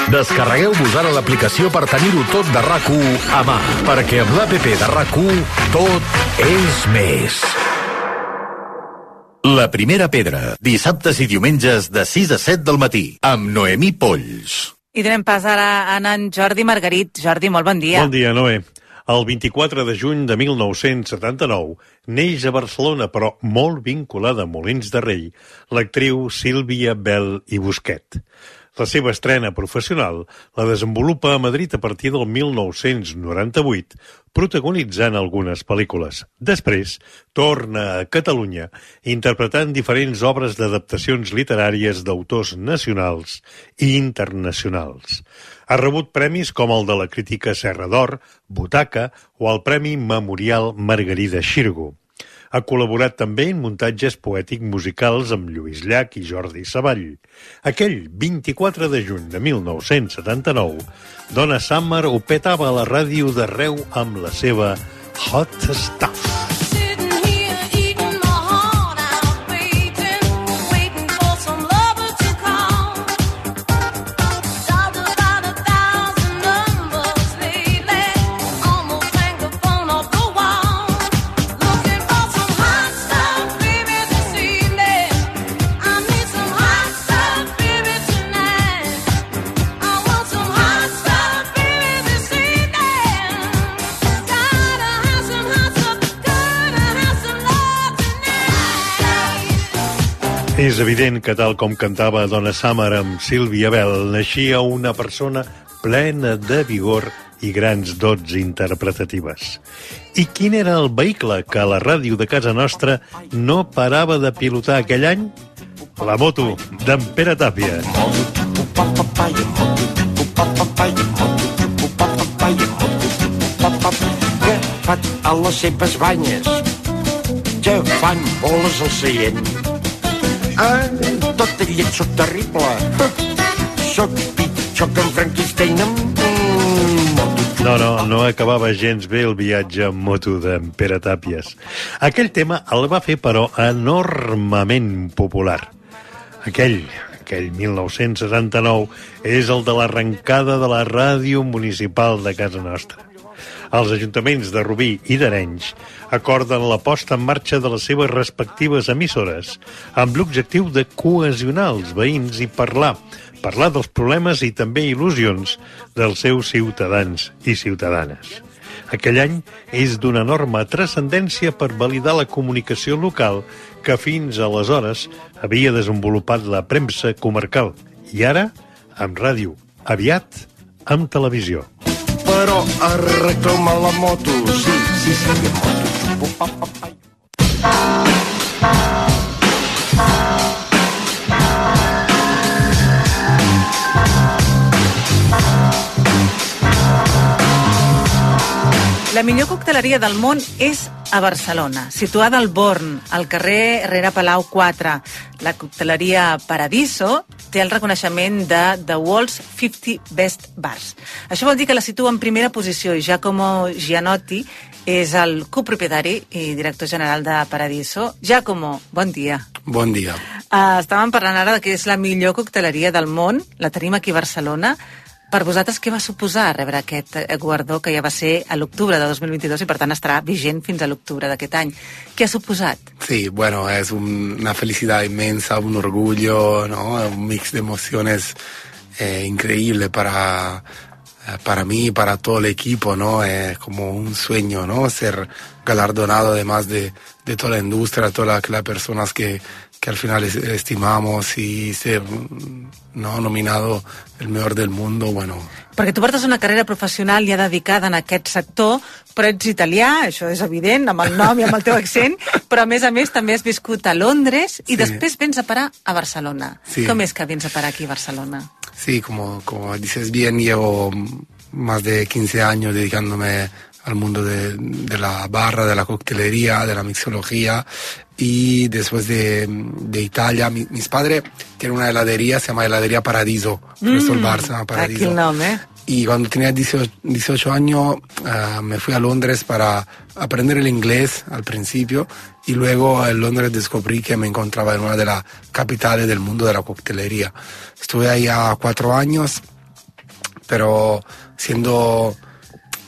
Descarregueu-vos ara l'aplicació per tenir-ho tot de RAC1 a mà, perquè amb l'APP de RAC1 tot és més. La primera pedra, dissabtes i diumenges de 6 a 7 del matí, amb Noemí Polls. I donem pas ara a en Jordi Margarit. Jordi, molt bon dia. Bon dia, Noé. El 24 de juny de 1979 neix a Barcelona, però molt vinculada a Molins de Rei, l'actriu Sílvia Bel i Busquet. La seva estrena professional la desenvolupa a Madrid a partir del 1998, protagonitzant algunes pel·lícules. Després, torna a Catalunya, interpretant diferents obres d'adaptacions literàries d'autors nacionals i internacionals. Ha rebut premis com el de la crítica Serra d'Or, Butaca o el Premi Memorial Margarida Xirgo. Ha col·laborat també en muntatges poètic-musicals amb Lluís Llach i Jordi Savall. Aquell 24 de juny de 1979, Donna Summer ho petava a la ràdio d'arreu amb la seva Hot Stuff. És evident que, tal com cantava Donna Summer amb Sílvia Bel, naixia una persona plena de vigor i grans dots interpretatives. I quin era el vehicle que la ràdio de casa nostra no parava de pilotar aquell any? La moto d'en Pere Tàpia. Que fan a les seves banyes, que fan boles al seient. Tot ell soc terrible. Soc pitjor que en Frankenstein amb moto. No acabava gens bé el viatge en moto d'en Pere Tàpies. Aquell tema el va fer, però, enormement popular. Aquell 1979 és el de l'arrencada de la ràdio municipal de casa nostra. Els ajuntaments de Rubí i d'Arenys acorden la posta en marxa de les seves respectives emissores amb l'objectiu de cohesionar els veïns i parlar dels problemes i també il·lusions dels seus ciutadans i ciutadanes. Aquell any és d'una enorme transcendència per validar la comunicació local que fins aleshores havia desenvolupat la premsa comarcal i ara amb ràdio, aviat amb televisió. Però arregla la moto, sí, moto. La millor cocteleria del món és a Barcelona, situada al Born, al carrer Rere Palau 4. La cocteleria Paradiso té el reconeixement de The World's 50 Best Bars. Això vol dir que la situa en primera posició i Giacomo Gianotti és el copropietari i director general de Paradiso. Giacomo, bon dia. Bon dia. Estàvem parlant ara que és la millor cocteleria del món, la tenim aquí a Barcelona. Per vosaltres, què va suposar rebre aquest guardó, que ja va ser a l'octubre de 2022 i, per tant, estarà vigent fins a l'octubre d'aquest any? Què ha suposat? Sí, bueno, es una felicidad inmensa, un orgullo, ¿no? Un mix de emociones increíble para para mí y para todo el equipo, ¿no? Es como un sueño, ¿no? Ser galardonado además de toda la industria, todas las personas que al final estimamos, y ser, no, nominado el mejor del mundo, bueno. Perquè tu portes una carrera professional ja dedicada en aquest sector, però ets italià, això és evident, amb el nom i amb el teu accent, però a més també has viscut a Londres i després vens a parar a Barcelona. Sí. Com és que vens a parar aquí a Barcelona? Sí, como dices bien, llevo más de 15 años dedicándome al mundo de la barra, de la coctelería, de la mixología, y después de Italia, mis padres tienen una heladería, se llama Heladería Paradiso, por eso el bar se llama Paradiso. Aquí el nombre. Y cuando tenía 18 años me fui a Londres para aprender el inglés al principio, y luego en Londres descubrí que me encontraba en una de las capitales del mundo de la coctelería. Estuve ahí a 4 años, pero siendo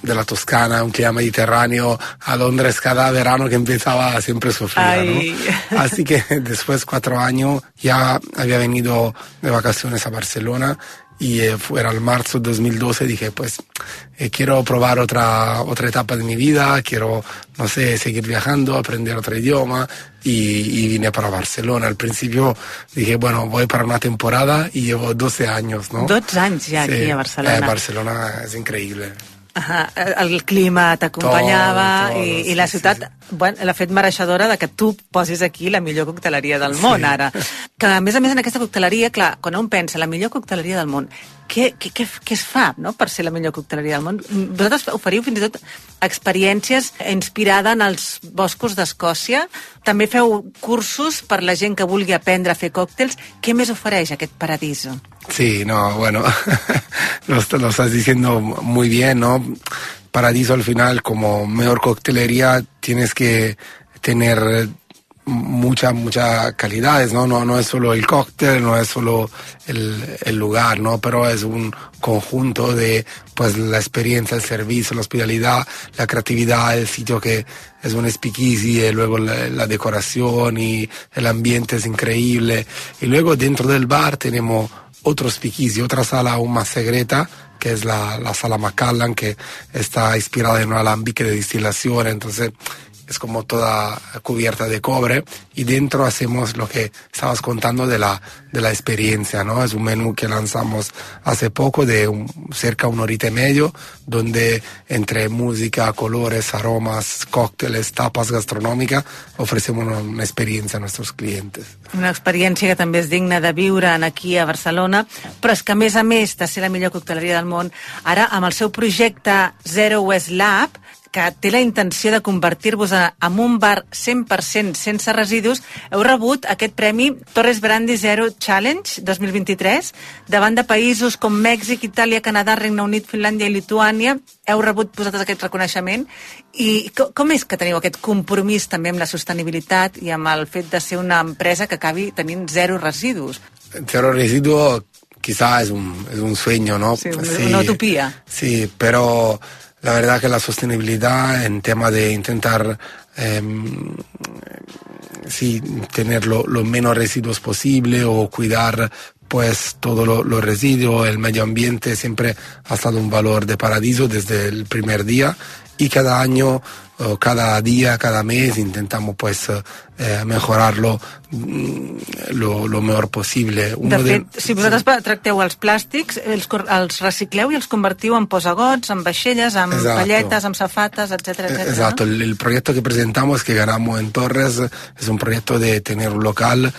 de la Toscana, un clima mediterráneo, a Londres cada verano que empezaba siempre sufría, ¿no? Así que después de 4 años ya había venido de vacaciones a Barcelona, y fuera el marzo de 2012 dije, pues quiero probar otra etapa de mi vida, quiero, no sé, seguir viajando, aprender otro idioma, y vine para Barcelona. Al principio dije, bueno, voy para una temporada, y llevo 12 años, ¿no? 12 anys ja aquí a Barcelona. Barcelona es increïble. El clima t'acompanyava i la ciutat l'ha fet mereixedora de que tu posis aquí la millor cocteleria del món, ara. Que a més en aquesta cocteleria, clar, quan un pensa la millor cocteleria del món, què es fa, no?, per ser la millor cocteleria del món? Vosaltres oferiu fins i tot experiències inspirades en els boscos d'Escòcia, també feu cursos per la gent que vulgui aprendre a fer còctels. Què més ofereix aquest Paradiso? Sí, no, bueno, lo estás diciendo muy bien, ¿no? Paradiso al final, como mejor coctelería, tienes que tener muchas calidades, ¿no? No es solo el cóctel, no es solo el lugar, ¿no? Pero es un conjunto de, pues, la experiencia, el servicio, la hospitalidad, la creatividad, el sitio que es un speakeasy, y luego la decoración y el ambiente es increíble. Y luego dentro del bar tenemos otro speakeasy, otra sala aún más secreta, que es la sala Macallan, que está inspirada en un alambique de destilación, entonces es como toda cubierta de cobre, y dentro hacemos lo que estabas contando de la experiencia, ¿no? Es un menú que lanzamos hace poco de cerca de 1 horita y media, donde entre música, colores, aromas, cócteles, tapas gastronòmicas, ofrecemos una experiencia a nuestros clientes. Una experiència que també és digna de viure aquí a Barcelona, però és que a més de ser la millor cocteleria del món, ara amb el seu projecte Zero Waste Lab, que té la intenció de convertir-vos en un bar 100% sense residus, heu rebut aquest premi Torres Brandy Zero Challenge 2023, davant de països com Mèxic, Itàlia, Canadà, Regne Unit, Finlàndia i Lituània. Heu rebut vosaltres aquest reconeixement. I com és que teniu aquest compromís també amb la sostenibilitat i amb el fet de ser una empresa que acabi tenint zero residus? Zero residuo quizá es un sueño, ¿no? Sí, una utopía. Sí, pero la verdad que la sostenibilidad en tema de intentar tener lo menos residuos posible, o cuidar pues todos los residuos, el medio ambiente, siempre ha estado un valor de Paradiso desde el primer día, y cada año, cada día, cada mes intentamos pues mejorarlo lo mejor possible. De fet, si vosaltres tracteu els plàstics, els recicleu i els convertiu en posagots, en vaixelles, en palletes, en safates, etcétera, etcétera. Exacto, el proyecto que presentamos, que ganamos en Torres, es un proyecto de tener un local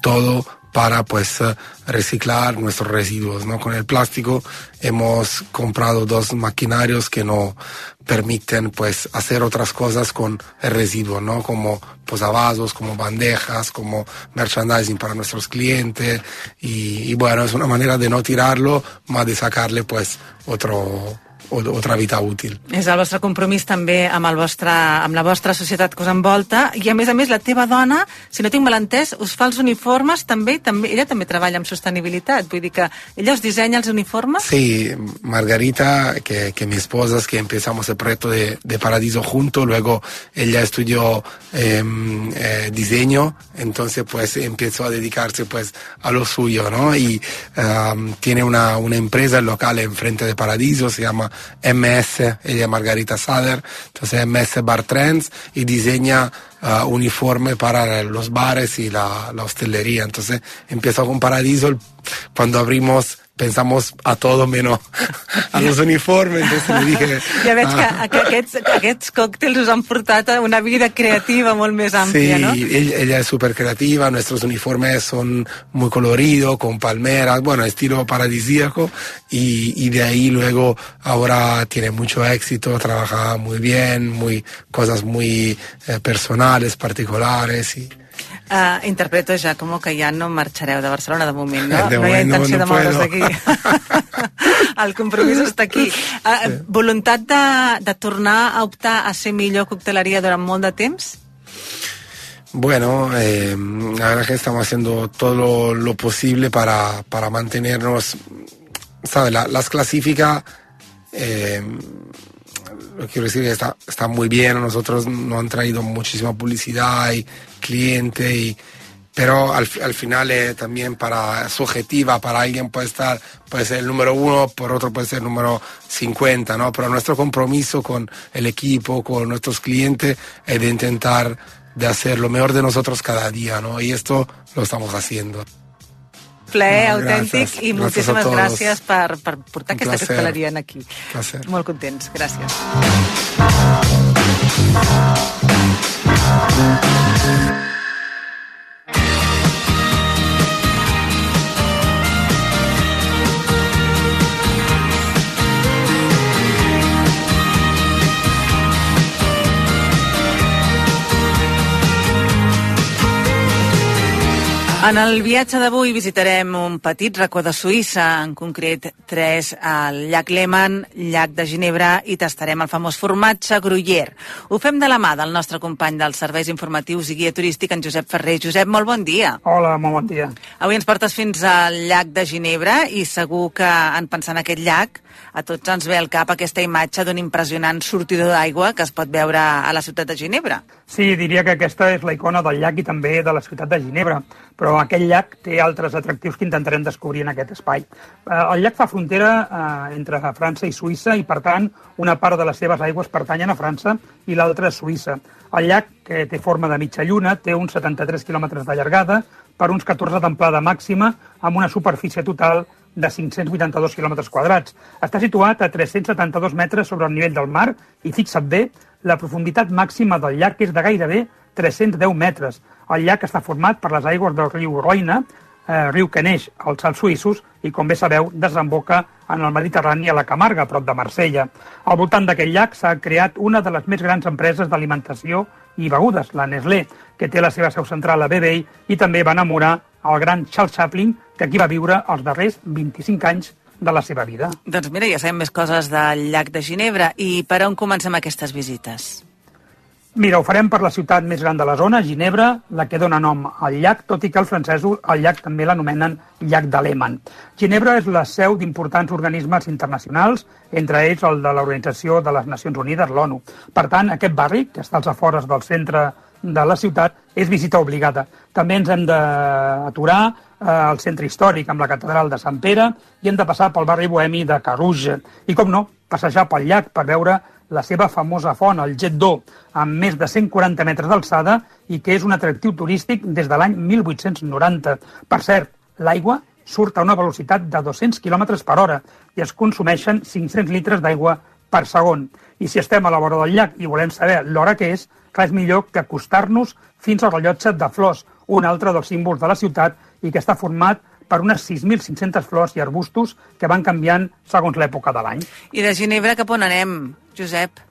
todo para pues reciclar nuestros residuos, ¿no? Con el plástico hemos comprado 2 maquinarios que nos permiten pues hacer otras cosas con el residuo, ¿no? Como posavasos, como bandejas, como merchandising para nuestros clientes, y bueno, es una manera de no tirarlo, más de sacarle pues otro otra vida útil. És el vostre compromís també amb la vostra societat que us envolta, i a més, la teva dona, si no tinc mal entès, us fa els uniformes també, ella també treballa amb sostenibilitat, vull dir que ella us dissenya els uniformes? Sí, Margarita, que mi esposa, es que empezamos el proyecto de Paradiso juntos, luego ella estudió diseño, entonces pues empezó a dedicarse pues a lo suyo, ¿no? Y tiene una empresa local enfrente de Paradiso, se llama MS, ella es Margarita Sader, entonces MS Bar Trends, y diseña uniforme para los bares y la hostelería. Entonces empezó con Paradiso, cuando abrimos pensamos a todo menos a los uniformes, entonces le dije... Ja veig que aquests còctels us han portat a una vida creativa molt més àmplia, sí, ¿no? Sí, ella es súper creativa, nuestros uniformes son muy coloridos, con palmeras, bueno, estilo paradisíaco, y de ahí luego ahora tiene mucho éxito, trabaja muy bien, cosas muy personales, particulares, y... Interpreto, Giacomo, que ja no marxareu de Barcelona de moment, no? No hi ha intenció de moure's d'aquí. El compromís està aquí. Voluntat de tornar a optar a ser millor cocteleria durant molt de temps? Bueno, la verdad que estamos haciendo todo lo posible para mantenernos, ¿sabes? Las clasificas, lo quiero decir, está muy bien, nosotros nos han traído muchísima publicidad y cliente, pero al final también subjetiva, para alguien puede ser el número 1, por otro puede ser el número 50, ¿no? Pero nuestro compromiso con el equipo, con nuestros clientes, es de intentar de hacer lo mejor de nosotros cada día, ¿no? Y esto lo estamos haciendo. Plaer autèntic, i moltíssimes gràcies per portar aquesta cocteleria aquí. Molt contents, gràcies. En el viatge d'avui visitarem un petit racó de Suïssa, en concret 3 al llac Léman, llac de Ginebra, i tastarem el famós formatge Gruyère. Ho fem de la mà del nostre company dels serveis informatius i guia turístic, en Josep Ferrer. Josep, molt bon dia. Hola, molt bon dia. Avui ens portes fins al llac de Ginebra i segur que en pensar en aquest llac a tots ens ve al cap aquesta imatge d'un impressionant sortidor d'aigua que es pot veure a la ciutat de Ginebra. Sí, diria que aquesta és la icona del llac i també de la ciutat de Ginebra, però aquest llac té altres atractius que intentarem descobrir en aquest espai. El llac fa frontera entre França i Suïssa i, per tant, una part de les seves aigües pertanyen a França i l'altra a Suïssa. El llac, que té forma de mitja lluna, té uns 73 quilòmetres de llargada per uns 14 d'amplada màxima amb una superfície total de 582 quilòmetres quadrats. Està situat a 372 metres sobre el nivell del mar i, fixa't bé, la profunditat màxima del llac és de gairebé 310 metres. El llac està format per les aigües del riu Roine, riu que neix als Alps suïssos i, com bé sabeu, desemboca en el Mediterrani a la Camarga, prop de Marsella. Al voltant d'aquest llac s'ha creat una de les més grans empreses d'alimentació i begudes, la Nestlé, que té la seva seu central a Vevey i també va enamorar el gran Charles Chaplin, que aquí va viure els darrers 25 anys de la seva vida. Doncs mira, ja sabem més coses del llac de Ginebra. I per on comencem aquestes visites? Mira, ho farem per la ciutat més gran de la zona, Ginebra, la que dona nom al llac, tot i que els francesos el llac també l'anomenen llac de Léman. Ginebra és la seu d'importants organismes internacionals, entre ells el de l'Organització de les Nacions Unides, l'ONU. Per tant, aquest barri, que està als afores del centre de la ciutat, és visita obligada. També ens hem d'aturar al centre històric amb la catedral de Sant Pere i hem de passar pel barri bohemi de Carouge. I, com no, passejar pel llac per veure la seva famosa font, el Jet d'Eau, amb més de 140 metres d'alçada i que és un atractiu turístic des de l'any 1890. Per cert, l'aigua surt a una velocitat de 200 km per hora i es consumeixen 500 litres d'aigua per segon. I si estem a la vora del llac i volem saber l'hora que és, clar, és millor que acostar-nos fins al rellotge de flors, un altre dels símbols de la ciutat i que està format per unes 6.500 flors i arbustos que van canviant segons l'època de l'any. I de Ginebra cap on anem, Josep?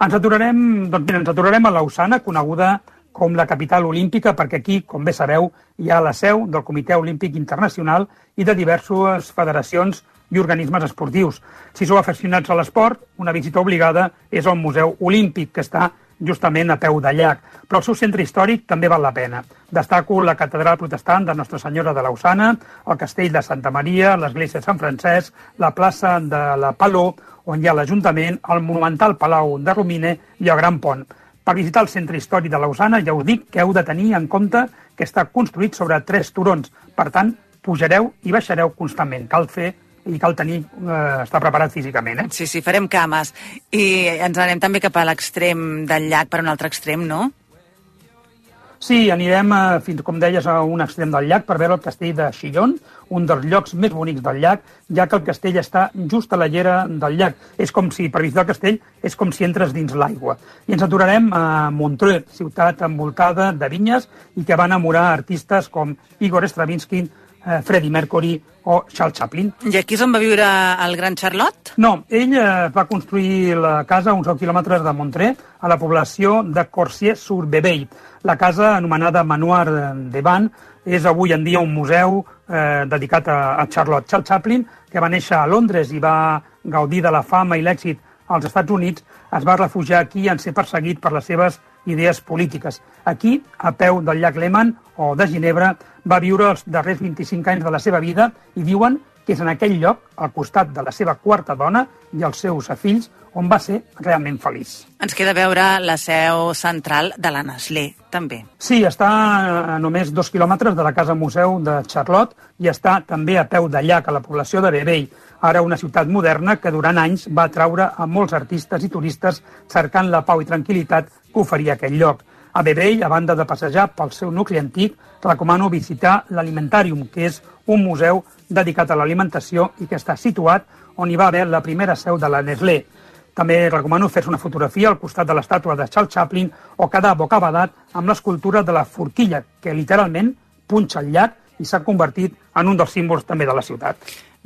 Ens aturarem a Lausana, coneguda com la capital olímpica, perquè aquí, com bé sabeu, hi ha la seu del Comitè Olímpic Internacional i de diverses federacions i organismes esportius. Si sou aficionats a l'esport, una visita obligada és al Museu Olímpic, que està justament a peu de llac, però el seu centre històric també val la pena. Destaco la catedral protestant de Nostra Senyora de Lausana, el castell de Santa Maria, l'església de Sant Francesc, la plaça de la Paló, on hi ha l'Ajuntament, el monumental Palau de Romine i el Gran Pont. Per visitar el centre històric de Lausana ja us dic que heu de tenir en compte que està construït sobre 3 turons. Per tant, pujareu i baixareu constantment. Cal estar preparat físicament. Sí, farem cames. I ens anem també cap a l'extrem del llac, per un altre extrem, no? Sí, anirem, fins com deies, a un extrem del llac per veure el castell de Chillon, un dels llocs més bonics del llac, ja que el castell està just a la llera del llac. És com si, per visitar el castell, és com si entres dins l'aigua. I ens aturarem a Montreux, ciutat envoltada de vinyes i que va enamorar artistes com Igor Stravinsky, Freddie Mercury o Charles Chaplin. I aquí és on va viure el gran Charlot? No, ell va construir la casa a uns 10 quilòmetres de Montreux, a la població de Corsier-sur-Bebey. La casa, anomenada Manoir de Van, és avui en dia un museu dedicat a Charlotte. Charles Chaplin, que va néixer a Londres i va gaudir de la fama i l'èxit als Estats Units, es va refugiar aquí en ser perseguit per les seves idees polítiques. Aquí, a peu del llac Léman o de Ginebra, va viure els darrers 25 anys de la seva vida i diuen que és en aquell lloc, al costat de la seva quarta dona i els seus fills, on va ser realment feliç. Ens queda veure la seu central de la Nestlé, també. Sí, està a només 2 quilòmetres de la casa museu de Charlotte i està també a peu de llac, a la població de Bebey, ara una ciutat moderna que durant anys va atraure a molts artistes i turistes cercant la pau i tranquil·litat que oferia aquell lloc. A Bebey, a banda de passejar pel seu nucli antic, recomano visitar l'Alimentarium, que és un museu dedicat a l'alimentació i que està situat on hi va haver la primera seu de la Nestlé. També recomano fer-se una fotografia al costat de l'estàtua de Charles Chaplin o quedar bocabadat amb l'escultura de la forquilla, que literalment punxa el llac i s'ha convertit en un dels símbols també de la ciutat.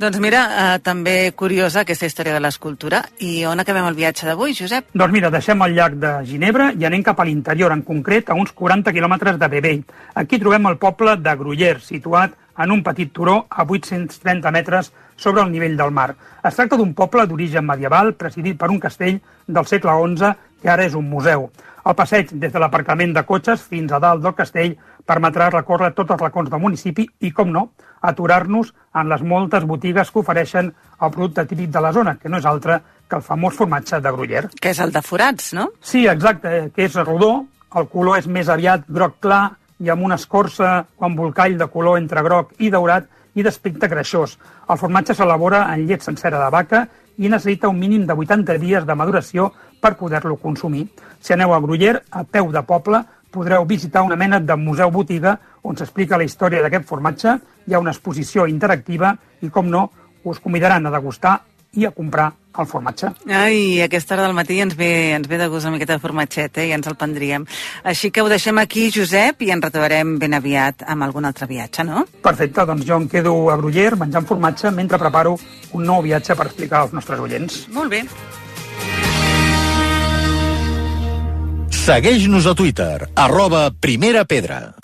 Doncs mira, també curiosa aquesta història de l'escultura. I on acabem el viatge d'avui, Josep? Doncs mira, deixem el llac de Ginebra i anem cap a l'interior, en concret a uns 40 quilòmetres de Bebey. Aquí trobem el poble de Gruyère, situat en un petit turó a 830 metres sobre el nivell del mar. Es tracta d'un poble d'origen medieval presidit per un castell del segle XI que ara és un museu. El passeig des de l'aparcament de cotxes fins a dalt del castell permetrà recórrer tots els racons del municipi i, com no, aturar-nos en les moltes botigues que ofereixen el producte típic de la zona, que no és altre que el famós formatge de Gruyère. Que és el de forats, no? Sí, exacte, que és rodó, el color és més aviat groc clar i amb una escorça o embolcall de color entre groc i daurat i d'aspecte greixós. El formatge s'elabora en llet sencera de vaca i necessita un mínim de 80 dies de maduració per poder-lo consumir. Si aneu a Gruyère, a peu de poble, podreu visitar una mena de museu-botiga on s'explica la història d'aquest formatge, hi ha una exposició interactiva i, com no, us convidaran a degustar i a comprar el formatge. Ai, a aquesta hora del matí ens ve de gust una miqueta de formatget, i ens el prendríem. Així que ho deixem aquí, Josep, i ens retrobarem ben aviat amb algun altre viatge, no? Perfecte, doncs jo em quedo a Gruyère menjant formatge mentre preparo un nou viatge per explicar als nostres oients. Molt bé. Segueix-nos a Twitter, @primerapedra.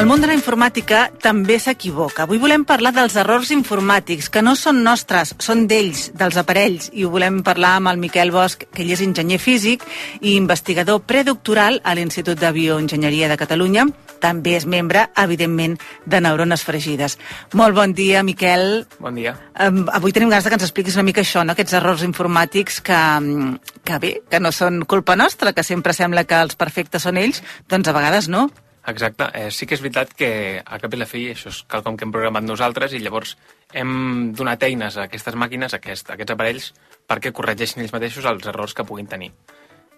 El món de la informàtica també s'equivoca. Avui volem parlar dels errors informàtics, que no són nostres, són d'ells, dels aparells, i ho volem parlar amb el Miquel Bosch, que ell és enginyer físic i investigador predoctoral a l'Institut de Bioenginyeria de Catalunya. També és membre, evidentment, de Neurones Fregides. Molt bon dia, Miquel. Bon dia. Avui tenim ganes que ens expliquis una mica això, no? Aquests errors informàtics que no són culpa nostra, que sempre sembla que els perfectes són ells, doncs a vegades no. Exacte. Sí que és veritat que a cap i la fi això és quelcom que hem programat nosaltres i llavors hem donat eines a aquestes màquines, a aquests aparells, perquè corregeixin ells mateixos els errors que puguin tenir.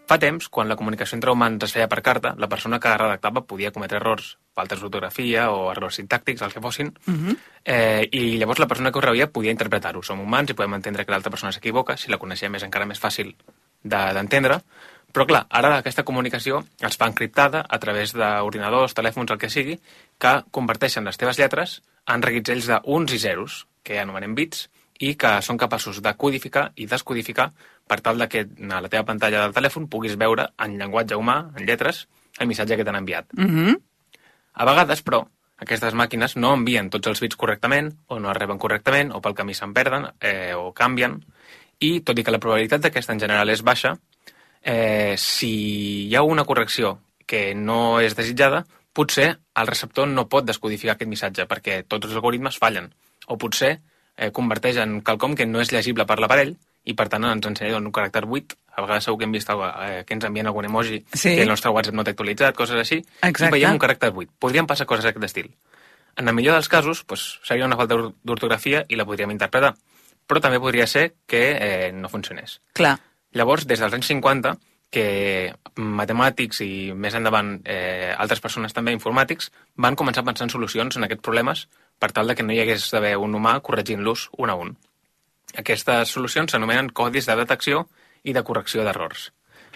Fa temps, quan la comunicació entre humans es feia per carta, la persona que redactava podia cometre errors, faltes d'ortografia o errors sintàctics, el que fossin, i llavors la persona que ho rebia podia interpretar-ho. Som humans i podem entendre que l'altra persona s'equivoca, si la coneixem és encara més fàcil d'entendre, però clar, ara aquesta comunicació es fa encriptada a través d'ordinadors, telèfons, el que sigui, que converteixen les teves lletres en reguitzells d'uns i zeros, que anomenem bits, i que són capaços de codificar i descodificar per tal que a la teva pantalla del telèfon puguis veure en llenguatge humà, en lletres, el missatge que t'han enviat. Mhm. A vegades, però, aquestes màquines no envien tots els bits correctament, o no es reben correctament, o pel camí se'n perden, o canvien, i tot i que la probabilitat d'aquesta en general és baixa, si hi ha una correcció que no és desitjada, potser el receptor no pot descodificar aquest missatge, perquè tots els algoritmes fallen, o potser converteix en quelcom que no és llegible per l'aparell, i per tant ens ensenya un caràcter buit. A vegades segur que hem vist que ens envien algun emoji que el nostre WhatsApp no té actualitzat, coses així, i veiem un caràcter buit. Podrien passar coses d'aquest estil. En el millor dels casos, seria una falta d'ortografia i la podríem interpretar, però també podria ser que no funcionés. Clar. Llavors, des dels anys 50, que matemàtics i més endavant altres persones també informàtics van començar a pensar en solucions en aquests problemes per tal de que no hi hagués d'haver un humà corregint-los un a un. Aquestes solucions s'anomenen codis de detecció i de correcció d'errors.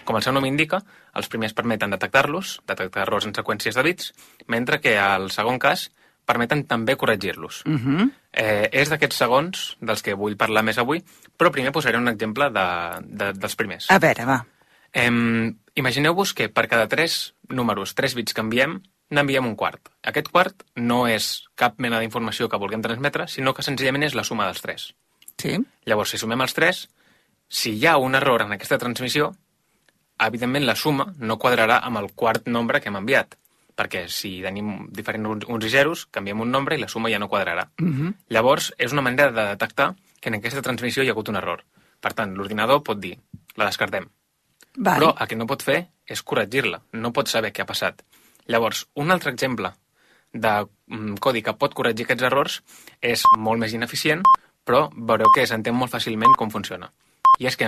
Com el seu nom indica, els primers permeten detectar-los, detectar errors en seqüències de bits, mentre que al segon cas permeten també corregir-los. És d'aquests segons dels que vull parlar més avui, però primer posaré un exemple dels primers. A veure, va. Imagineu-vos que per cada 3 números, 3 bits que enviem, n'enviem un quart. Aquest quart no és cap mena d'informació que vulguem transmetre, sinó que senzillament és la suma dels 3. Sí. Llavors, si sumem els 3, si hi ha un error en aquesta transmissió, evidentment la suma no quadrarà amb el quart nombre que hem enviat, perquè si tenim diferents uns i zeros, canviem un nombre i la suma ja no quadrarà. Llavors, és una manera de detectar que en aquesta transmissió hi ha hagut un error. Per tant, l'ordinador pot dir, la descartem. Però el que no pot fer és corregir-la, no pot saber què ha passat. Llavors, un altre exemple de codi que pot corregir aquests errors és molt més ineficient, però veureu que s'entén molt fàcilment com funciona. I és que